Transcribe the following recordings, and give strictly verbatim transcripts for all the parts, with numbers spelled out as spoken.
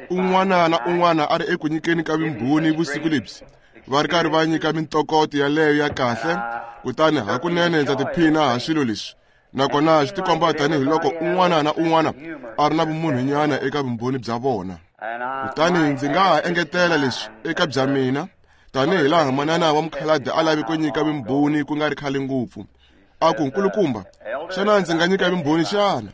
Un'wana na un'wana a ri eku nyikeni ka vumbhoni vusiku lebyi, va ri karhi va nyika mintokoto yaleyo ya kahle, kutani hakunene ndza tiphina ha swilo leswi. Nakona swi tikomba tanihiloko un'wana na un'wana a ri na vumunhunyana eka vumbhoni bya vona. Kutani ndzi nga ha engetela leswi eka bya mina, tanihi laha manana wa mukhalabye a lavi ku nyika vumbhoni ku nga ri khale ngopfu. A ku, nkulukumba, xana ndzi nga nyika vumbhoni xana?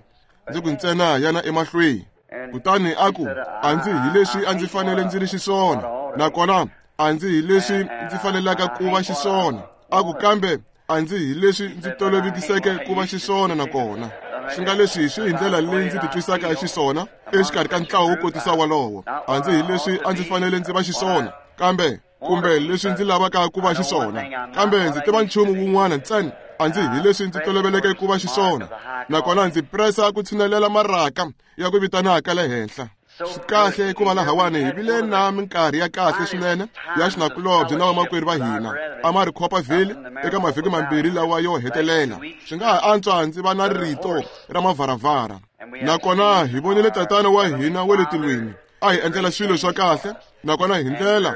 Ndzi ku ntsena yana emahlweni. Kutani a ku, a ndzi hi leswi a ndzi fanele ndzi ri xiswona, nakona a ndzi hi leswi ndzi fanelaka ku va xiswona. A ku, kambe a ndzi hi leswi ndzi tolovetiseke ku va xiswona nakona. Swi nga leswi swi hi ndlela leyi ndzi titwisaka xiswona exikarhi ka ntlawa wo kotisa walowo. A ndzi hi leswi a ndzi fanele ndzi va xiswona, kambe kumbe leswi ndzi lavaka ku va xiswona, kambe ndzi tiva nchumu wun'wana ntsena. A ndzi hi leswi ndzi toloveleke ku va xiswona, nakona ndzi presa ku tshinelela maraka ya ku vitanaka le henhla. Swi kahle ku va lahawani hi vile na minkarhi ya kahle swinene ya xinakulobye na vamakwerhu va hina a ma ri Copperville eka mavhiki mambirhi lawa yo hetelela. Swi nga ha antswa ndzi va na rito ra mavharavhara. Nakona hi vonile tatana wa hina wa le tilweni a hi endlela swilo swa kahle, nakona hi ndlela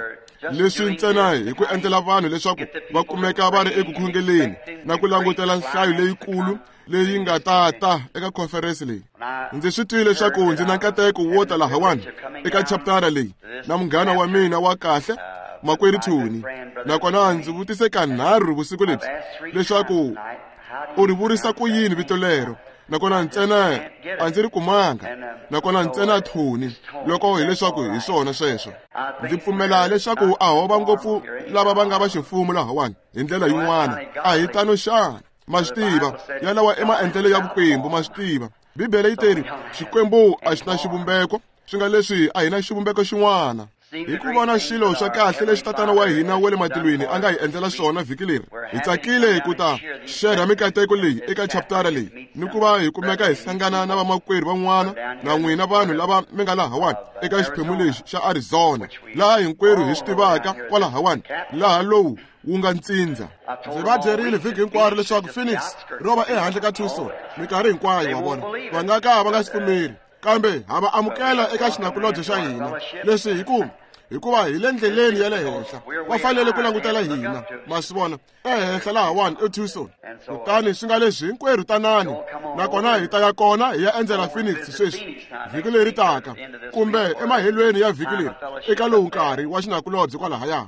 leswi ntsena hi ku endlela vanhu leswaku va kumeka va ri eku khongeleni na ku langutela nhlayo leyikulu leyi nga ta ta eka conference leyi. Ndzi swi twile leswaku ndzi na nkateko wo ta lahawani eka chaptara leyi na munghana wa mina wa kahle makwerhu Tony. Nakona ndzi vutise kanharhu vusiku lebyi leswaku u ri vurisa ku yini vito lero, nakona ntsena a ndzi ri kumanga, nakona ntsena Tony loko hileswaku hi swona sweswo. Ndzi pfumela leswaku a ho va ngopfu lava va nga va ximfumo lahawani hi ndlela yin'wana. A hi tano xana? Ma swi tiva, yalawa i maendlelo ya vukwembu, ma swi tiva. Bibele yi teri Xikwembu a xi na xivumbeko, swi nga leswi a hi na xivumbeko xin'wana. Hi ku vona swilo swa kahle leswi tatana wa hina wa le matilweni a nga hi endlela swona vhiki leri, hi tsakile ku ta xerha mikateko leyi eka chaptara leyi, ni ku va hi kumeka hi hlangana na vamakwerhu van'wana na n'wina vanhu lava mi nga lahawani eka xiphemu lexi xa Arizona, laha hinkwerhu hi swi tivaka kwalahawani, laha lowu wu nga ntsindza. Ndzi va byerile vhiki hinkwaro leswaku Phoenix ro va ehandle ka Tucson minkarhi hinkwayo, wa vona. Va nga ka va nga swi pfumeri, kambe ha va amukela eka xinakulobye xa hina. Leswi hi ku hikuva hi le ndleleni ya le henhla, va fanele ku langutela hina, ma swi vona, ehenhla lahawani eTucson. Kutani swi nga leswi hinkwerhu tanani, nakona hi ta ya kona hi ya endzela Phoenix sweswi vhiki leri taka, kumbe emahelweni ya vhiki leri eka lowu nkarhi wa xinakulobye kwalahaya.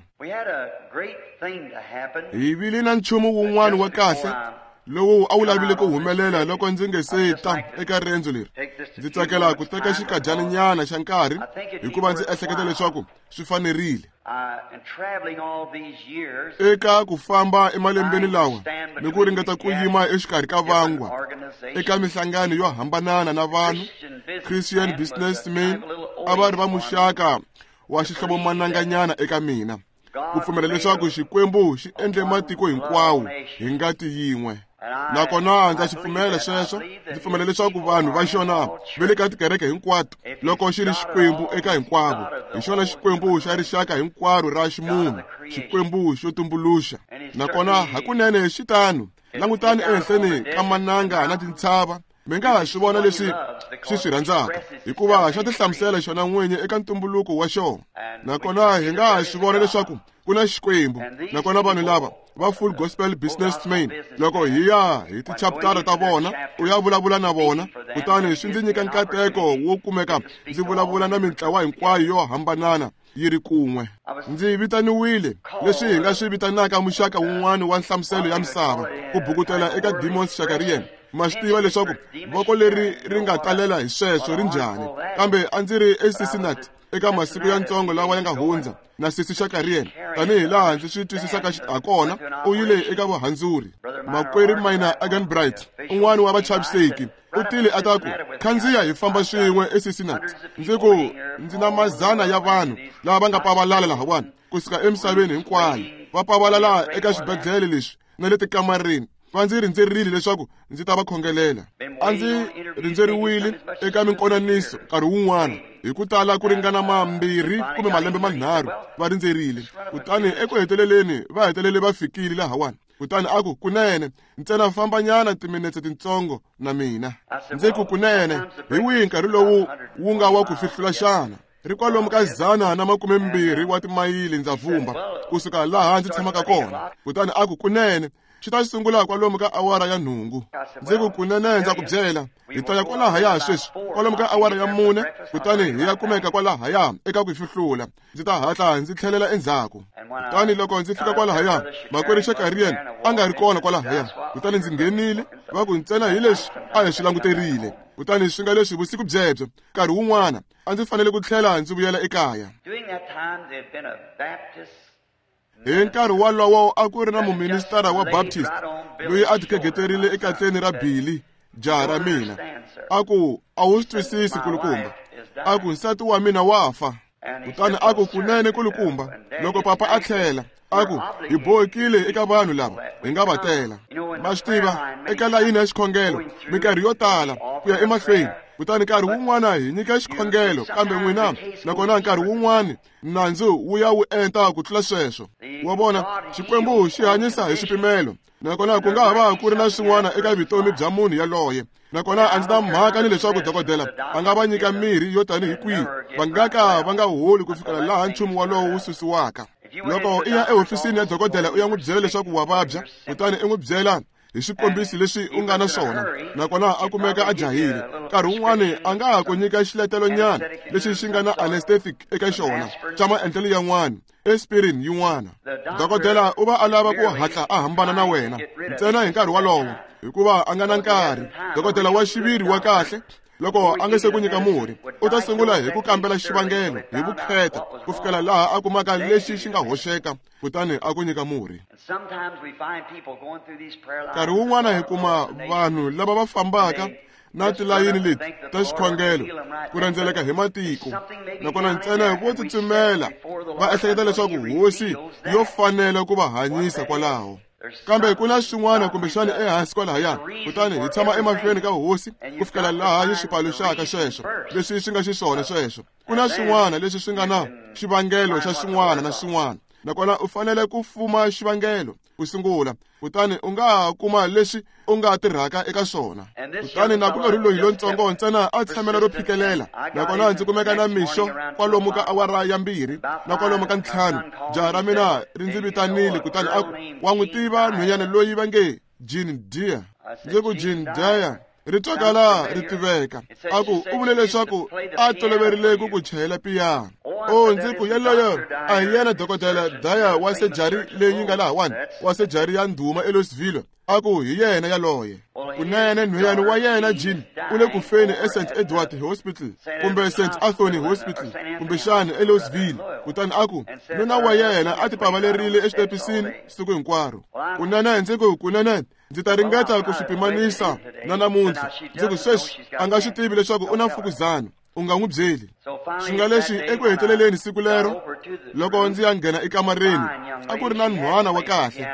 Hi vile na nchumu wun'wana wa kahle lowu a wu lavile ku humelela loko ndzi nge se ta eka riendzo leri. Ndzi tsakela ku teka xikadyaninyana xa nkarhi hikuva ndzi ehleketa leswaku swi fanerile. Eka ku famba emalembeni lawa ni ku ringeta ku yima exikarhi ka vangwa eka minhlangano yo hambanana na vanhu, Christian businessmen a va ri va muxaka wa xihlovomananganyana eka mina, ku pfumela leswaku Xikwembu xi endle matiko hinkwawo hi ngati yin'we. Nakona ndza xi pfumela sweswo. Ndzi pfumela leswaku vanhu va xona va le ka tikereke hinkwato, loko xi ri Xikwembu eka hinkwavo, hi xona Xikwembu xa rixaka hinkwaro ra ximunhu, Xikwembu xo tumbuluxa. Nakona hakunene xi tano. Langutani ehenhleni ka mananga na tintshava, mi nga ha swi vona leswi xi swi rhandzaka, hikuva xa tihlamusela xona n'winyi eka ntumbuluko wa xona. Nakona hi nga ha swi vona leswaku ku na Xikwembu. Nakona vanhu lava va Full Gospel Businessmen, loko hi ya hi tichaptara ta vona, u ya vulavula na vona, kutani swi ndzi nyika nkateko wo kumeka ndzi vulavula na mintlawa hinkwayo yo hambanana yi ri kun'we. Ndzi vitaniwile leswi hi nga swi vitanaka muxaka wun'wana wa nhlamuselo ya misava, ku bukutela eka Demons Shakarian. Ma swi tiva leswaku voko leri ri nga talela hi sweswo ri njhani, kambe a ndzi ri eCincinnati eka masiku ya ntsongo lawa ya nga hundza na sesi Shakarian, tanihi laha ndzi swi twisisaka hakona, u yile eka vuhandzuri. Makwerhu Minor Agenbright, un'wana wa vachaviseki, u tile a ta ku, khandziya hi famba swin'we eCincinnati. Ndzi ku, ndzi na mazana ya vanhu lava va nga pavalala lahawani kusuka emisaveni hinkwayo, va pavalala eka swibedhlele leswi na le tikamareni. Va ndzi rindzerile leswaku ndzi ta va khongelela. A ndzi rindzeriwile eka minkonaniso nkarhi wun'wana hi ku tala ku ringana mambirhi kumbe malembe manharhu va rindzerile. Kutani eku heteleleni va hetelele va fikile lahawani. Kutani a ku, kunene ntsena fambanyana timinetse tintsongo na mina. Ndzi ku, kunene hi wihi nkarhi lowu wu nga wa ku fihlula xana? Ri kwalomu ka dzana na makume mbirhi wa timayili ndza vumba kusuka laha ndzi tshamaka kona. Kutani a ku, kunene xi ta sungula kwalomu ka awara ya nhungu. Ndzi ku, kunene ndza ku byela, hi ta ya kwalahaya sweswi kwalomu ka awara ya mune, kutani hi ya kumeka kwalahaya eka ku fihlula. Ndzi ta hatla ndzi tlhelela endzhaku. Kutani loko ndzi fika kwalahaya, makwerhu Shakarian a nga ri kona kwalahaya. Kutani ndzi nghenile, va ku ntsena hi leswi a hi swi languterile. Kutani swi nga leswi vusiku byebyo nkarhi wun'wana a ndzi fanele ku tlhela ndzi vuyela ekaya. Hi nkarhi wolowo a ku ri na muministara wa Baptist loyi a tikhegeterile ekatleni ra Billy, jaha ra mina. A ku, a wu swi twisisi kulukumba. A ku, nsati wa mina wa fa. Kutani a ku, kunene kulukumba, loko papa a tlhela, a ku, hi bohekile eka vanhu lava hi nga va tela. Ma swi tiva, eka layini ya xikhongelo minkarhi yo tala ku ya emahlweni. Kutani nkarhi wun'wana hi nyika xikhongelo, kambe n'wina nakona nkarhi wun'wana nandzu wu ya wu enta ku tlula sweswo. Wa vona, Xikwembu xi hanyisa hi swipimelo, nakona ku nga ha va ku ri na swin'wana eka vutomi bya munhu yaloye. Nakona a ndzi na mhaka ni leswaku dokodela a nga va nyika mirhi yo tanihi kwihi, va nga ka va nga holi ku fikela laha nchumu wolowo wu susiwaka. Loko i ya ehofisini ya dokodela u ya n'wi byela leswaku wa vabya, kutani i n'wi byela hi swikombiso leswi u nga na swona, nakona a kumeka a jahile, nkarhi wun'wani a nga ha ku nyika xiletelonyana lexi xi nga na anesthetic eka xona xa maendlelo yan'wana, aspirin yin'wana. Dokodela u va a lava ku hatla a hambana na wena ntsena hi nkarhi wolowo, hikuva a nga na nkarhi. Dokodela wa xiviri wa kahle, loko a nga se ku nyika murhi, u ta sungula hi ku kambela xivangelo hi vukheta ku fikela laha a kumaka lexi xi nga hoxeka, kutani a ku nyika murhi. Nkarhi wun'wana hi kuma vanhu lava va fambaka na tilayini leti ta xikhongelo ku rhendzeleka hi matiko, nakona ntsena vo tsutsumela va ehleketa leswaku hosi yo fanela ku va hanyisa kwalaho. Kambe ku na swin'wana kumbexana ehansi kwalahaya, kutani hi tshama emahlweni ka hosi ku fikela laha yi swi paluxaka sweswo leswi swi nga xiswona sweswo. Ku na swin'wana leswi swi nga na xivangelo xa xin'wana na xin'wana, nakona u fanele ku fuma xivangelo ku sungula, kutani u nga ha kuma leswi u nga tirhaka eka swona. Kutani nakulorhi loyi lontsongo ntsena a tshamela ro phikelela, nakona ndzi kumeka na mixo kwalomu ka awara ya mbirhi na kwalomu ka ntlhanu, jaha ra mina ri ndzi vitanile, kutani a ku, wa n'wi tiva nhwenyana loyi va nge Jean Dyer? Ndzi ku, Jean Dyer ri twakala ri tiveka. A ku, u vule leswaku a toloverile ku ku chayela piyano. O, ndzi ku, yaloyo a hi yena dokodela Dyer wa sejari leyi nga lahawani, wa sejari ya ndhuma eLouisville. A ku, hi yena yaloye. Kunene nhwenyana wa yena Jean u le ku feni eSt Edward Hospital kumbe St Anthony Hospital kumbexana eLouisville. Kutani a ku, nuna wa yena a tipavalerile exitepisini siku hinkwaro. Kunene ndzi ku, kunene ndzi ta ringeta ku swi pimanisa na namuntlha. Ndzi ku, sweswi a nga swi tivi leswaku u na mfukuzana, u nga n'wi byeli. Swi nga leswi eku heteleleni siku lero, loko ndzi ya nghena ekamareni, a ku ri na nhwana wa kahle.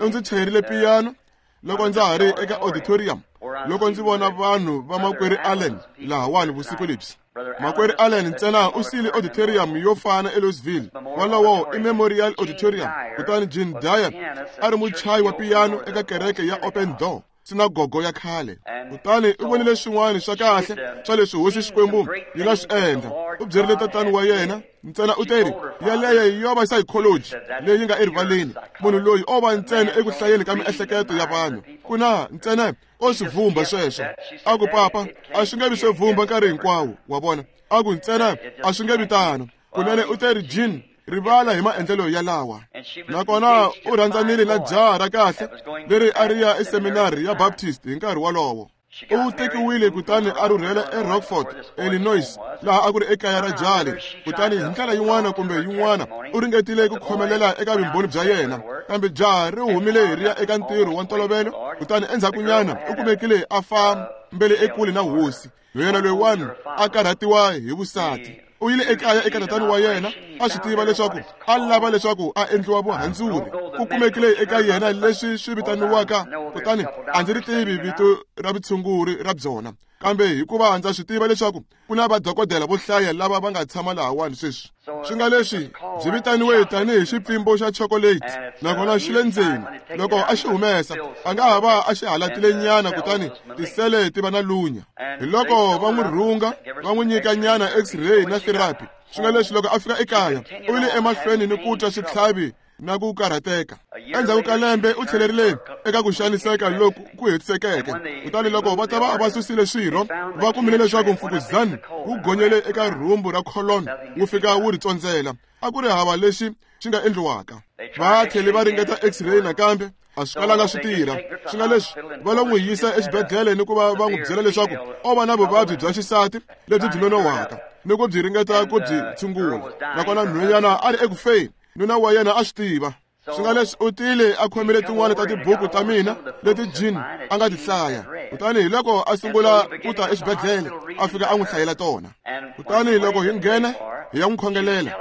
U ndzi chayerile piyano loko ndza ha ri eka auditorium, loko ndzi vona vanhu va makwerhu Allen lahawani vusiku lebyi. Makwerhu Allen ntsena u siyile auditorium yo fana eLouisville, wolowo i Memorial Auditorium. Kutani Jean Dyer a ri muchayi wa piyano eka kereke ya Open Door, sinagogo ya khale. Kutani u vonile swin'wana swa kahle swa leswi hosi Xikwembu yi nga swi endla. U byerile tatani wa yena ntsena u teri, yaleyo yo va psychology leyi nga erivaleni. Munhu loyi o va ntsena eku hlayeni ka miehleketo ya vanhu, ku na ntsena o swi vumba sweswo. A ku, papa, a swi nge vi swo vumba nkarhi hinkwawo, wa vona. A ku, ntsena a swi nge vi tano. Kunene u teri, Jean, rivala hi maendlelo yalawa. Nakona u rhandzanile na jaha ra kahle leri a ri ya eseminari ya Baptist hi nkarhi wolowo. U tekiwile kutani a rhurhela eRockford, Illinois, laha a ku ri ekaya ra jaha leri. Kutani hi ndlela yin'wana kumbe yin'wana u ringetile ku khomelela eka vumbhoni bya yena, kambe jaha ri humile ri ya eka ntirho wa ntolovelo. Kutani endzhakunyana u kumekile a fambele ekule na hosi. Nhwenyana loyiwani a karhatiwa hi vusati. U yile ekaya eka tatani wa yena a swi tiva leswaku a lava leswaku a endliwa vuhandzuri. Ku kumekile eka yena leswi swi vitaniwaka, kutani a ndzi ri tivi vito ra vutshunguri ra byona, kambe hikuva ndza swi tiva leswaku ku na vadokodela vo hlaya lava va nga tshama lahawani sweswi. Swi nga leswi byi vitaniwe tanihi xipfimbo xa chocolate, nakona xi le ndzeni. Loko a xi humesa, a nga ha va a xi halatile nyana, kutani tisele ti va na lunya. Hi loko va n'wi rhunga, va n'wi nyika nyana x-ray na therapy. Swi nga leswi loko a fika ekaya, u yile emahlweni ni ku twa switlhavi na ku karhateka. Endzhaku ka lembe u tlhelerile eka ku xaniseka loku ku hetisekeke. Kutani loko va ta va va susile swirho, va kumile leswaku mfukuzana wu gonyele eka rhumbu ra colon, wu fika wu ri tsondzela. A ku ri hava lexi xi nga endliwaka. Va tlhele va ringeta x-ray nakambe, a swi kalanga swi tirha. Swi nga leswi va lo n'wi yisa exibedhlele ni ku va va n'wi byela leswaku o va na vuvabyi bya xisati lebyi byi nonohwaka ni ku byi ringeta ku byi tshungula. Nakona nhwanyana a ri eku feni, nuna wa yena a swi tiva. Swi nga leswi u tile a khomile tin'wana ta tibuku ta mina leti Jean a nga ti hlaya. Kutani hi loko a sungula ku ta exibedhlele, a fika a n'wi hlayela tona. Kutani loko hi nghena hi ya n'wi khongelela,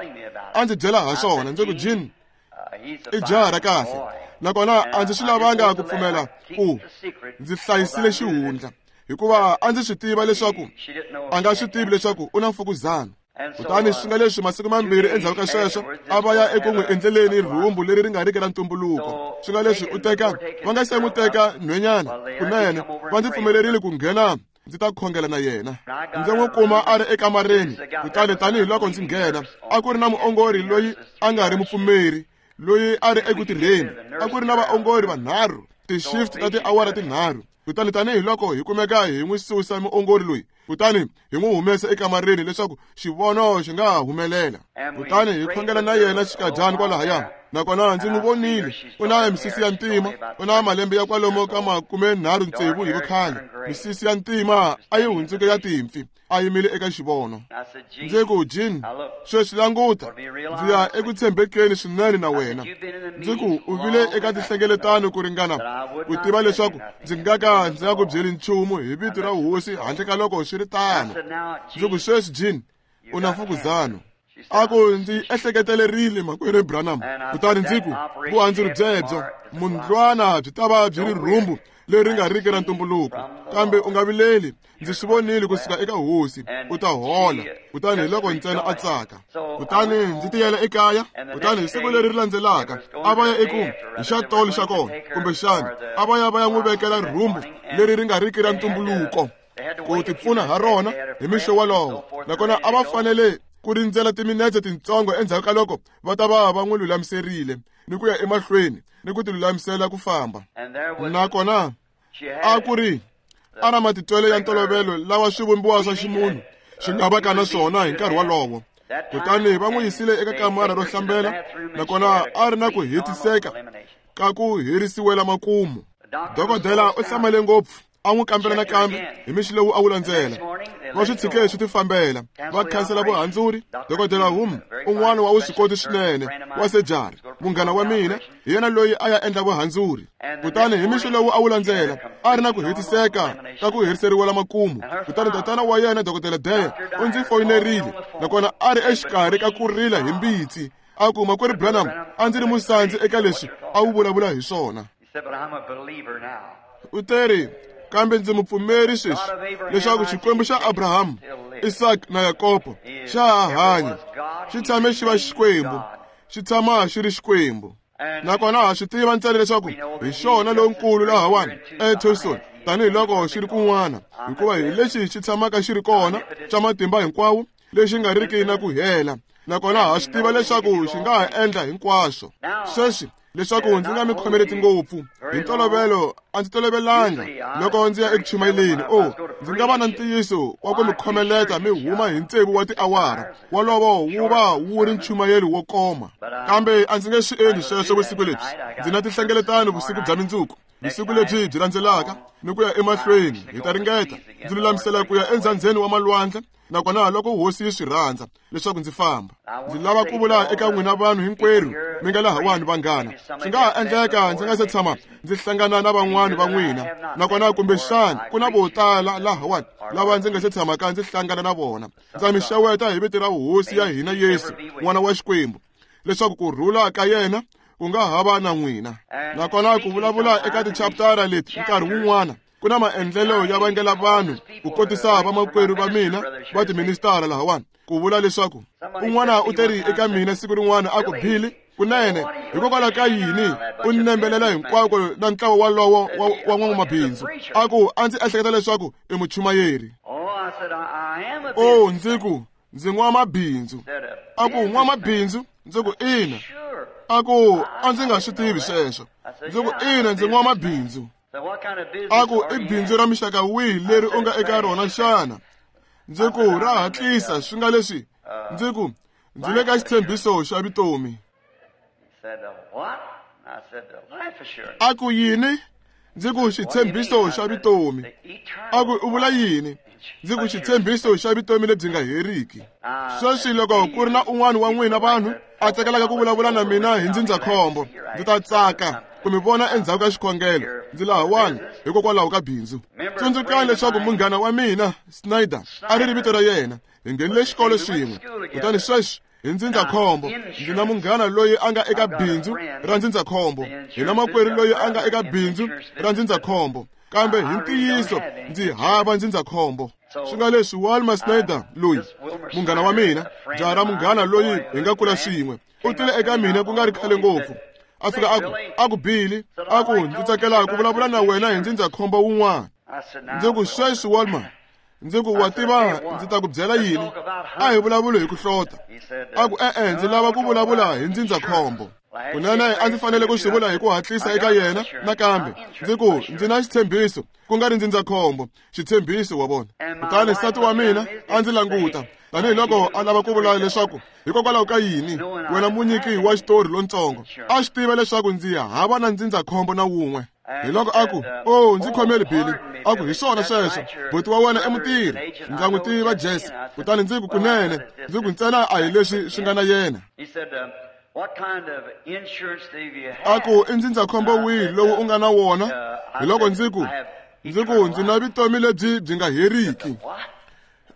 a ndzi byela ha swona. Ndzi ku, Jean i jaha ra kahle, nakona a ndzi swi lavanga ku pfumela ku ndzi hlayisile xihundla, hikuva a ndzi swi tiva leswaku a nga swi tivi leswaku u na mfukuzana. Kutani swi nga leswi masiku mambirhi endzhaku ka sweswo a va ya eku n'wi endleleni rhumbu leri ri nga riki ra ntumbuluko. Swi nga leswi u teka va nga se n'wi teka nhwenyana kunene, va ndzi pfumelerile ku nghena ndzi ta khongela na yena. Ndzi n'wi kuma a ri ekamareni. Kutani tanihiloko ndzi nghena, a ku ri na muongori loyi a nga ri mupfumeri, loyi a ri eku tirheni. A ku ri na vaongori vanharhu, ti-shift ta tiawara tinharhu. Kutani tanihiloko hi kumeka hi n'wi susa muongori loyi, kutani hi n'wi humesa ekamareni leswaku xivono xi nga ha humelela. Kutani hi khongela na yena xikadyana kwalahaya, nakona ndzi n'wi vonile. U na misisi ya ntima, u na malembe ya kwalomu ka makumenharhu tsevu hi vukhale. Misisi ya ntima a yi hundzuke ya timpfi, a yimile eka xivono. Ndzi ku, Jean, sweswi languta, ndzi ya eku tshembekeni swinene na wena. Ndzi ku, u vile eka tinhlengeletano ku ringana ku tiva leswaku ndzi nga ka ndzi nga ku byeli nchumu hi vito ra hosi handle ka loko swi ri tano. Ndzi ku, sweswi Jean, u na mfukuzana. A ku, ndzi ehleketelerile makwerhu Branham. Kutani ndzi ku, vuhandzuri byebyo mundlwana byi ta va byi ri rhumbu leri nga riki ra ntumbuluko, kambe u nga vileli, ndzi swi vonile kusuka eka hosi, u ta hola. Kutani hi loko ntsena a tsaka. Kutani ndzi tiyela ekaya. Kutani hi siku leri ri landzelaka a va ya eku hi xa tolo xa kona, kumbexana a va ya va ya n'wi vekela rhumbu leri ri nga riki ra ntumbuluko ku tipfuna ha rona hi mixo wolowo. Nakona a va fanele ku rindzela timinetse tintsongo endzhaku ka loko va ta va va n'wi lulamiserile ni ku ya emahlweni ni ku tilulamisela ku famba. Nakona a ku ri a na matitwelo ya ntolovelo lawa swivumbiwa swa ximunhu swi nga va ka na swona hi nkarhi wolowo. Kutani va n'wi yisile eka kamara ro hlambela, nakona a ri na ku hetiseka ka ku herisiwela makumu. Dokodela u hlamale ngopfu, a n'wi kambela nakambe hi mixo lowu a wu landzela. Va swi tshike swi tifambela, va khansela vuhandzuri. Dokodela Hum, un'wana wa vuswikoti swinene wa sejari, munghana wa mina, hi yena loyi a ya endla vuhandzuri. Kutani hi mixo lowu a wu landzela, a ri na ku hetiseka ka ku heriseriwela makumu. Kutani tatana wa yena, Dokodela Dyer, u ndzi foyinerile, nakona a ri exikarhi ka ku rila hi mbitsi. A ku, makwerhu Branham, a ndzi ri musandzi eka leswi a wu vulavula hi swona. U teri, kambe ndzi mupfumeri sweswi leswaku Xikwembu xa Abraham, Isaac na Yakobo xa ha hanya. Xi tshame xi va Xikwembu, xi tshama xi ri Xikwembu. Nakona ha swi tiva ntsena leswaku hi xona lonkulu lahawani eTucson, tanihiloko xi ri kun'wana, hikuva hi lexi xi tshamaka xi ri kona xa matimba hinkwawo, lexi nga riki na ku hela. Nakona ha swi tiva leswaku xi nga ha endla hinkwaswo. Sweswi leswaku ndzi nga mi khomeleti ngopfu, hi ntolovelo a ndzi tolovelanga loko ndzi ya eku chumayeleni. O, ndzi nga va na ntiyiso wa ku mi khomeleta mi huma hi tsevu wa tiawara, wolowo wu va wu ri nchumayelo wo koma. Kambe a ndzi nge swi endli sweswo vusiku lebyi. Ndzi na tinhlengeletano vusiku bya mindzuku. Vusiku lebyi byi landzelaka ni ku ya emahlweni hi ta ringeta ndzi lulamisela ku ya endzhandzeni wa malwandle, nakona loko hosi yi swi rhandza leswaku ndzi famba. Ndzi lava ku vula eka n'wina vanhu hinkwerhu mi nga lahawani vanghana, swi nga ha endleka ndzi nga se tshama ndzi hlangana na van'wani va n'wina, nakona kumbexana ku na vo tala lahawani lava ndzi nga se tshamaka ndzi hlangana na vona. Ndza mi xeweta hi vito ra hosi ya hina Yesu, n'wana wa Xikwembu, leswaku ku rhula ka yena ku nga ha va na n'wina. Nakona ku vulavula eka tichaptara leti nkarhi wun'wana ku na maendlelo ya vangela vanhu ku kotisa vamakwerhu va mina va tiministara lahawani ku vula leswaku un'wana u teri eka mina siku rin'wana a ku, Billy, kunene hikokwalaho ka yini u nembelela hinkwako na ntlawa walowo wa n'wamabindzu? A ku a ndzi ehleketa leswaku i muchumayeri. O, ndzi ku ndzi n'wamabindzu. A ku n'wamabindzu? Ndzi ku ina. A ku a ndzi nga swi tivi sweswo. Ndzi ku ina, ndzi n'wamabindzu. A ku i bindzu ra mixaka wihi leri u nga eka rona xana? Ndzi ku ra hatlisa swi nga leswi. Ndzi ku ndzi le ka xitshembiso xa vutomi. A ku yini? Ndzi ku xitshembiso xa vutomi. A ku u vula yini? Ndzi ku xitshembiso xa vutomi lebyi nga heriki. Sweswi loko ku ri na un'wana wa n'wina vanhu a tsakelaka ku vulavula na mina hi ndzindzakhombo, ndzi ta tsaka ku mi vona endzhaku ka xikhongelo. Ndzi lahawani hikokwalaho ka bindzu. Tsundzukani leswaku munghana wa mina Snyder a ri ri vito ra yena, hi nghenile xikolo xin'we. Kutani sweswi hi ndzindzakhombo ndzi na munghana loyi a nga eka bindzu ra ndzindzakhombo, hi na makwerhu loyi a nga eka bindzu ra ndzindzakhombo, kambe hi ntiyiso ndzi hava ndzindzakhombo. Swi nga leswi Walmer Snyder loyi munghana wa mina, jaha ra munghana loyi hi nga kula swin'we, u tile eka mina ku nga ri khale ngopfu. A fika a ku, a ku Billy, a ku ndzi tsakela ku vulavula na wena hi ndzindzakhombo wun'wana. Ndzi ku sweswi Walmer, ndzi ku wa tiva ndzi ta ku byela yini? A hi vulavuli hi ku hlota. A ku e-e, ndzi lava ku vulavula hi ndzindzakhombo. Kunene a ndzi fanele ku swi vula hi ku hatlisa eka yena nakambe. Ndzi ku ndzi na xitshembiso, ku nga ri ndzindzakhombo, xitshembiso wa vona. Kutani nsati wa mina a ndzi languta tanihiloko a lava ku vula leswaku hikokwalaho ka yini wena munyiki wa xitori lontsongo a swi tiva leswaku ndzi hava na ndzindzakhombo na wun'we. Hi loko a ku, o, ndzi khomeli Billy. A ku hi swona sweswo, buti wa wena i mutirhi, ndza n'wi tiva Jesse. Kutani ndzi ku kunene, ndzi ku ntsena a hi leswi swi nga na yena. A ku i ndzindzakhombo wihi lowu u nga na wona? Hi loko ndzi ku, ndzi ku ndzi na vutomi lebyi byi nga heriki.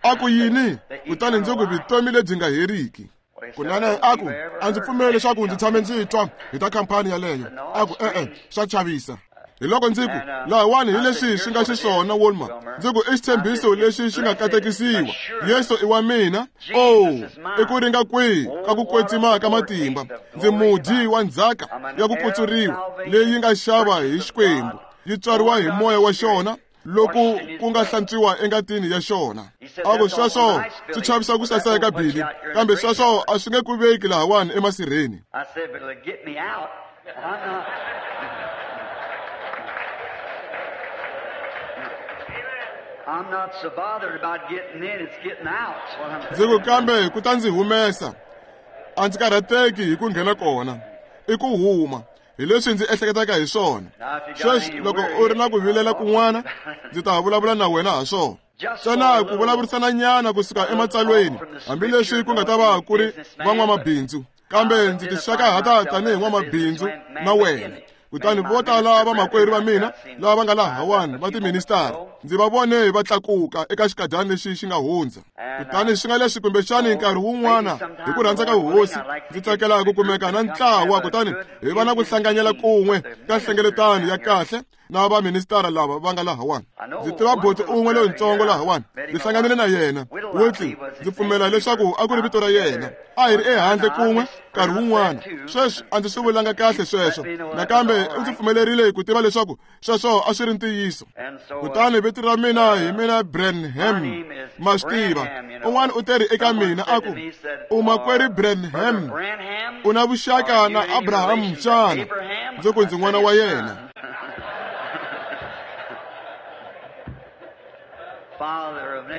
A ku yini? Kutani ndzi ku vutomi lebyi nga heriki. Kunene a ku a ndzi pfumeli leswaku ndzi tshame ndzi twa hi ta khampani yaleyo. A ku e-e, swa chavisa. Hi loko ndzi ku lahawani hi leswi swi nga xiswona Walmer. Ndzi ku i xitshembiso lexi xi nga katekisiwa. Yesu i wa mina. O, i ku ringa kwihi ka ku kwetsima ka matimba. Ndzi mudyi wa ndzhaka ya ku kutsuriwa leyi nga xava hi Xikwembu, yi tswariwa hi moya wa xona loko ku nga hlantswiwa engatini ya xona. A ku sweswo swi chavisa ku saseka Billy, kambe sweswo a swi nge ku veki lahawani emasirheni. Ndzi ku kambe ku ta ndzi humesa, a ndzi karhateki hi ku nghena kona, i ku huma. Hi leswi ndzi ehleketaka hi swona. Sweswi loko u ri na ku vilela kun'wana, ndzi ta vulavula na wena ha swona. Ntsena ku vulavurisana nyana kusuka ematsalweni, hambileswi ku nga ta va ku ri van'wamabindzu, kambe ndzi tixakahata tanihi n'wamabindzu na wena. Kutani vo tala vamakwerhu va mina lava va nga lahawani va tiministara, ndzi va vone va tlakuka eka xikadyana lexi xi nga hundza. Kutani swi nga leswi kumbexani nkarhi wun'wana hi ku rhandza ka hosi ndzi tsakela ku kumeka na ntlawa, kutani hi va na ku hlanganyela kun'we ka nhlengeletano ya kahle na vaministara lava va nga lahawani. Ndzi tiva boti un'we loyintsongo lahawani, ndzi hlanganile na yena Whitley, ndzi pfumela leswaku a ku ri vito ra yena. A hi ri ehandle kun'we nkarhi wun'wana. Sweswi a ndzi swi vulanga kahle sweswo, nakambe u ndzi pfumelerile ku tiva leswaku sweswo a swi ri ntiyiso. Kutani vito ra mina hi mina Branham, ma swi tiva. Un'wana u teri eka mina a ku, u makwerhu Branham, u na vuxaka na Abraham xana? Ndzi ku ndzi n'wana wa yena.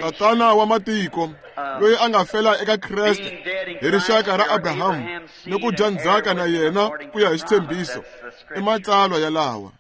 Tatana wa matiko loyi a nga fela eka Kreste hi rixaka ra Abraham ni ku dya ndzhaka na yena ku ya hi xitshembiso, i matsalwa yalawa.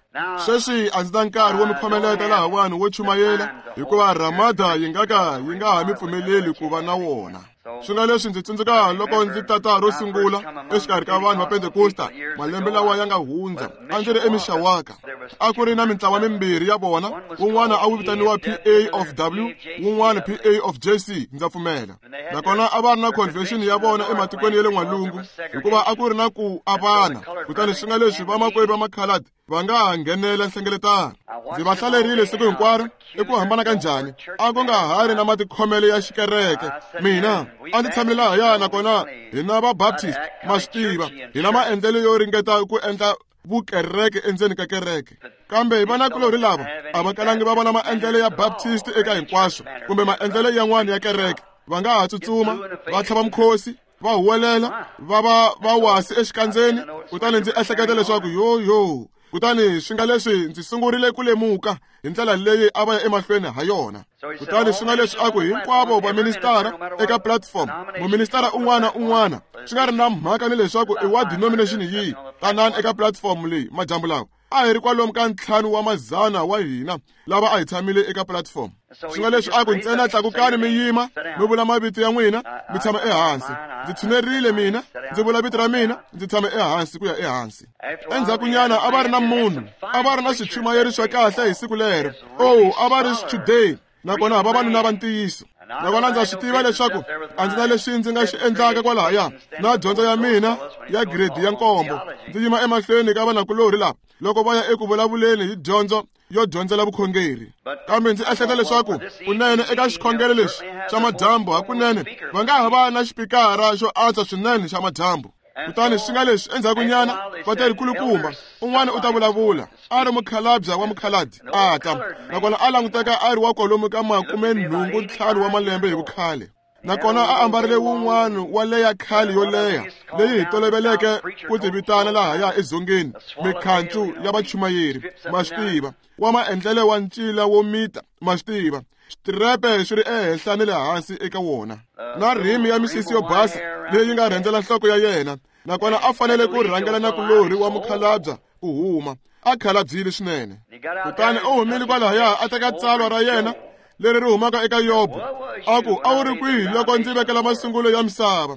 Sweswi a ndzi na nkarhi wo mi khomeleta lahawani wo chumayela, hikuva Ramada yi nga ka yi nga ha mi pfumeleli ku va na wona. Swi nga leswi ndzi tsundzuka loko ndzi tata ro sungula exikarhi ka vanhu va Pentekosta malembe lawa ya nga hundza, a ndzi ri eMishawaka. A ku ri na mintlawa mimbirhi ya vona, wun'wana a wu vitaniwa P A of W, wun'wana P A of J C, ndza pfumela. Nakona a va ri na convention ya vona ematikweni ya le n'walungu, hikuva a ku ri na ku avana. Kutani swi nga leswi vamakwerhu va makhaladi va nga ha nghenela nhlengeletano. Ndzi va hlalerile siku hinkwaro, i ku hambana ka njhani, a ku nga ha ri na matikhomelo ya xikereke. Mina a ndzi tshamile lahaya, nakona hina va Baptist ma swi tiva, hina maendlelo yo ringeta ku endla vukereke endzeni ka kereke. Kambe vanakulorhi lava a va kalangi va vona maendlelo ya Baptist eka hinkwaswo kumbe maendlelo yan'wana ya kereke. Va nga ha tsutsuma, va tlhava mukhosi, va huwelela, va va va wasi exikandzeni. Kutani ndzi ehleketa leswaku yo yo. Kutani swi nga leswi ndzi sungurile ku lemuka hi ndlela leyi a va ya emahlweni ha yona. Kutani swi nga leswi a ku hinkwavo vaministara eka platform, muministara un'wana un'wana, swi nga ri na mhaka ni leswaku i wa denomination yihi, tanani eka platform leyi madyambu lawa. A hi ri kwalomu ka ntlhanu wa mazana wa hina lava a hi tshamile eka platform. Swi nga leswi a ku ntsena tlakukani mi yima, mi vula mavito ya n'wina, mi tshama ehansi. Ndzi tshunerile mina, ndzi vula vito ra mina, ndzi tshama ehansi ku ya ehansi. Endzhakunyana a va ri na munhu, a va ri na swichumayeri swa kahle hi siku lero. Oh, a va ri swichudeni, nakona vavanuna va ntiyiso. Nakona ndza swi tiva leswaku a ndzi na leswi ndzi nga xi endlaka kwalahaya na dyondzo ya mina ya grade ya nkombo. Ndzi yima emahlweni ka vanakulorhi lava loko va ya eku vulavuleni hi dyondzo yo dyondzela vukhongeri. Kambe ndzi ehleketa leswaku kunene eka xikhongelo lexi xa madyambu hakunene va nga ha va na xipikara xo antswa swinene xa madyambu. Kutani swi nga leswi endzhakunyana va ta ri kulukumba, un'wana u ta vulavula, a ri mukhalabya wa mukhaladi a ta, nakona a languteka a ri wa kwalomu ka makume nhungu ntlhanu wa malembe hi vukhale. Nakona a ambarile wun'wana wa leya khale yo leha leyi hi toloveleke ku ti vitana lahaya edzongeni mikhancu ya vachumayeri, ma swi tiva, wa maendlelo wa ncila wo mita, ma swi tiva, switirhepe swi ri ehenhla ni le hansi eka wona, na rhimi ya misisi yo basa leyi nga rhendzela nhloko ya yena. Nakona a fanele ku rhangela nakulorhi wa mukhalabya ku huma, a khalabyile swinene. Kutani u humile kwalahaya a teka tsalwa ra yena leri ri humaka eka Yobo, a ku a wu ri kwihi loko ndzi vekela masungulo ya misava?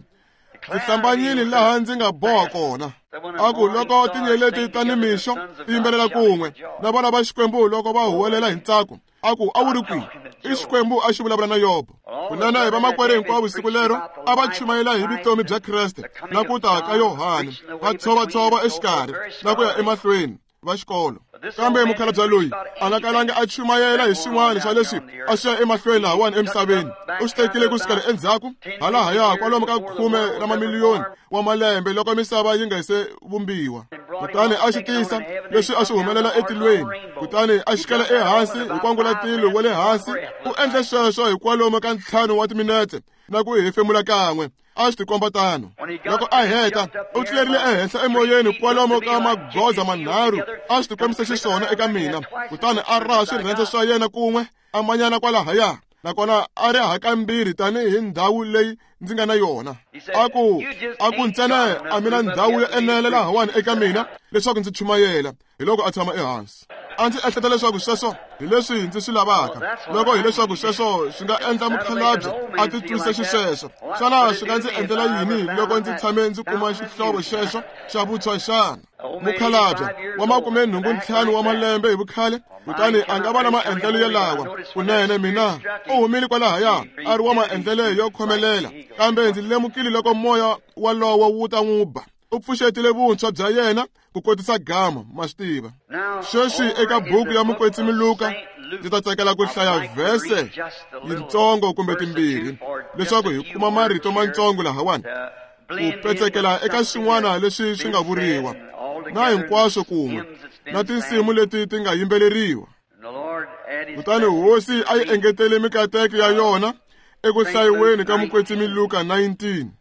Ndzi hlambanyile laha ndzi nga boha kona. A ku loko tinyeleti ta nimixo ti yimbelela kun'we na vana va Xikwembu loko va huwelela hi ntsako, a ku a wu ri kwihi? I Xikwembu a xi vulavula na Yobo. Kunene hi vamakwerhu hinkwavo siku lero a va chumayela hi vutomi bya Kreste na ku ta ka Yohane, va tshovatshova exikarhi na ku ya emahlweni va xikolo. Kambe mukhalabye loyi a nga kalanga a chumayela hi swin'wana swa leswi a swi ya emahlweni lahawani emisaveni. U swi tekile ku sukela endzhaku halahaya kwalomu ka khume ra mamiliyoni wa malembe loko misava yi nga se vumbiwa. Kutani a xi tisa leswi a swi humelela etilweni, kutani a xikela ehansi hi kwangulatilo wa le hansi. U endle sweswo hi kwalomu ka ntlhanu wa timinetse na ku hefemula kan'we. A swi tikomba tano. Loko a heta, u tlulerile ehenhla emoyeni kwalomu ka magoza manharhu, a swi tikombisa xiswona eka mina. Kutani a raha swirhendze swa yena kun'we, a manyana kwalahaya, nakona a ri hakambirhi tanihi ndhawu leyi ndzi nga na yona. A ku a ku ntsena a mina ndhawu yo enela lahawani eka mina leswaku ndzi chumayela. Hi loko a tshama ehansi. A ndzi ehleketa leswaku sweswo hi leswi ndzi swi lavaka. Loko hileswaku sweswo swi nga endla mukhalabye a titwisa xisweswo, xana swi nga ndzi endlela yini loko ndzi tshame ndzi kuma xihlovo xexo xa vutshwa xana? Mukhalabye wa makume nhungu ntlhanu wa malembe hi vukhale, kutani a nga va na maendlelo yalawa. Kunene mina u humile kwalahaya a ri wa maendlelo yo khomelela, kambe ndzi lemukile loko moya walowo wu ta n'wi ba. U pfuxetile vuntshwa bya yena ku kotisa gama, ma swi tiva. Sweswi eka buku ya Mukwetsimi Luka ndzi ta tsakela ku hlaya vhese yitsongo kumbe timbirhi leswaku hi kuma marito matsongo lahawani ku petsekela eka swin'wana leswi swi nga vuriwa na hinkwaswo kun'we na tinsimu leti ti nga yimbeleriwa. Kutani Hosi a yi engetele mikateko ya yona eku hlayiweni ka Mukwetsimi Luka nineteen.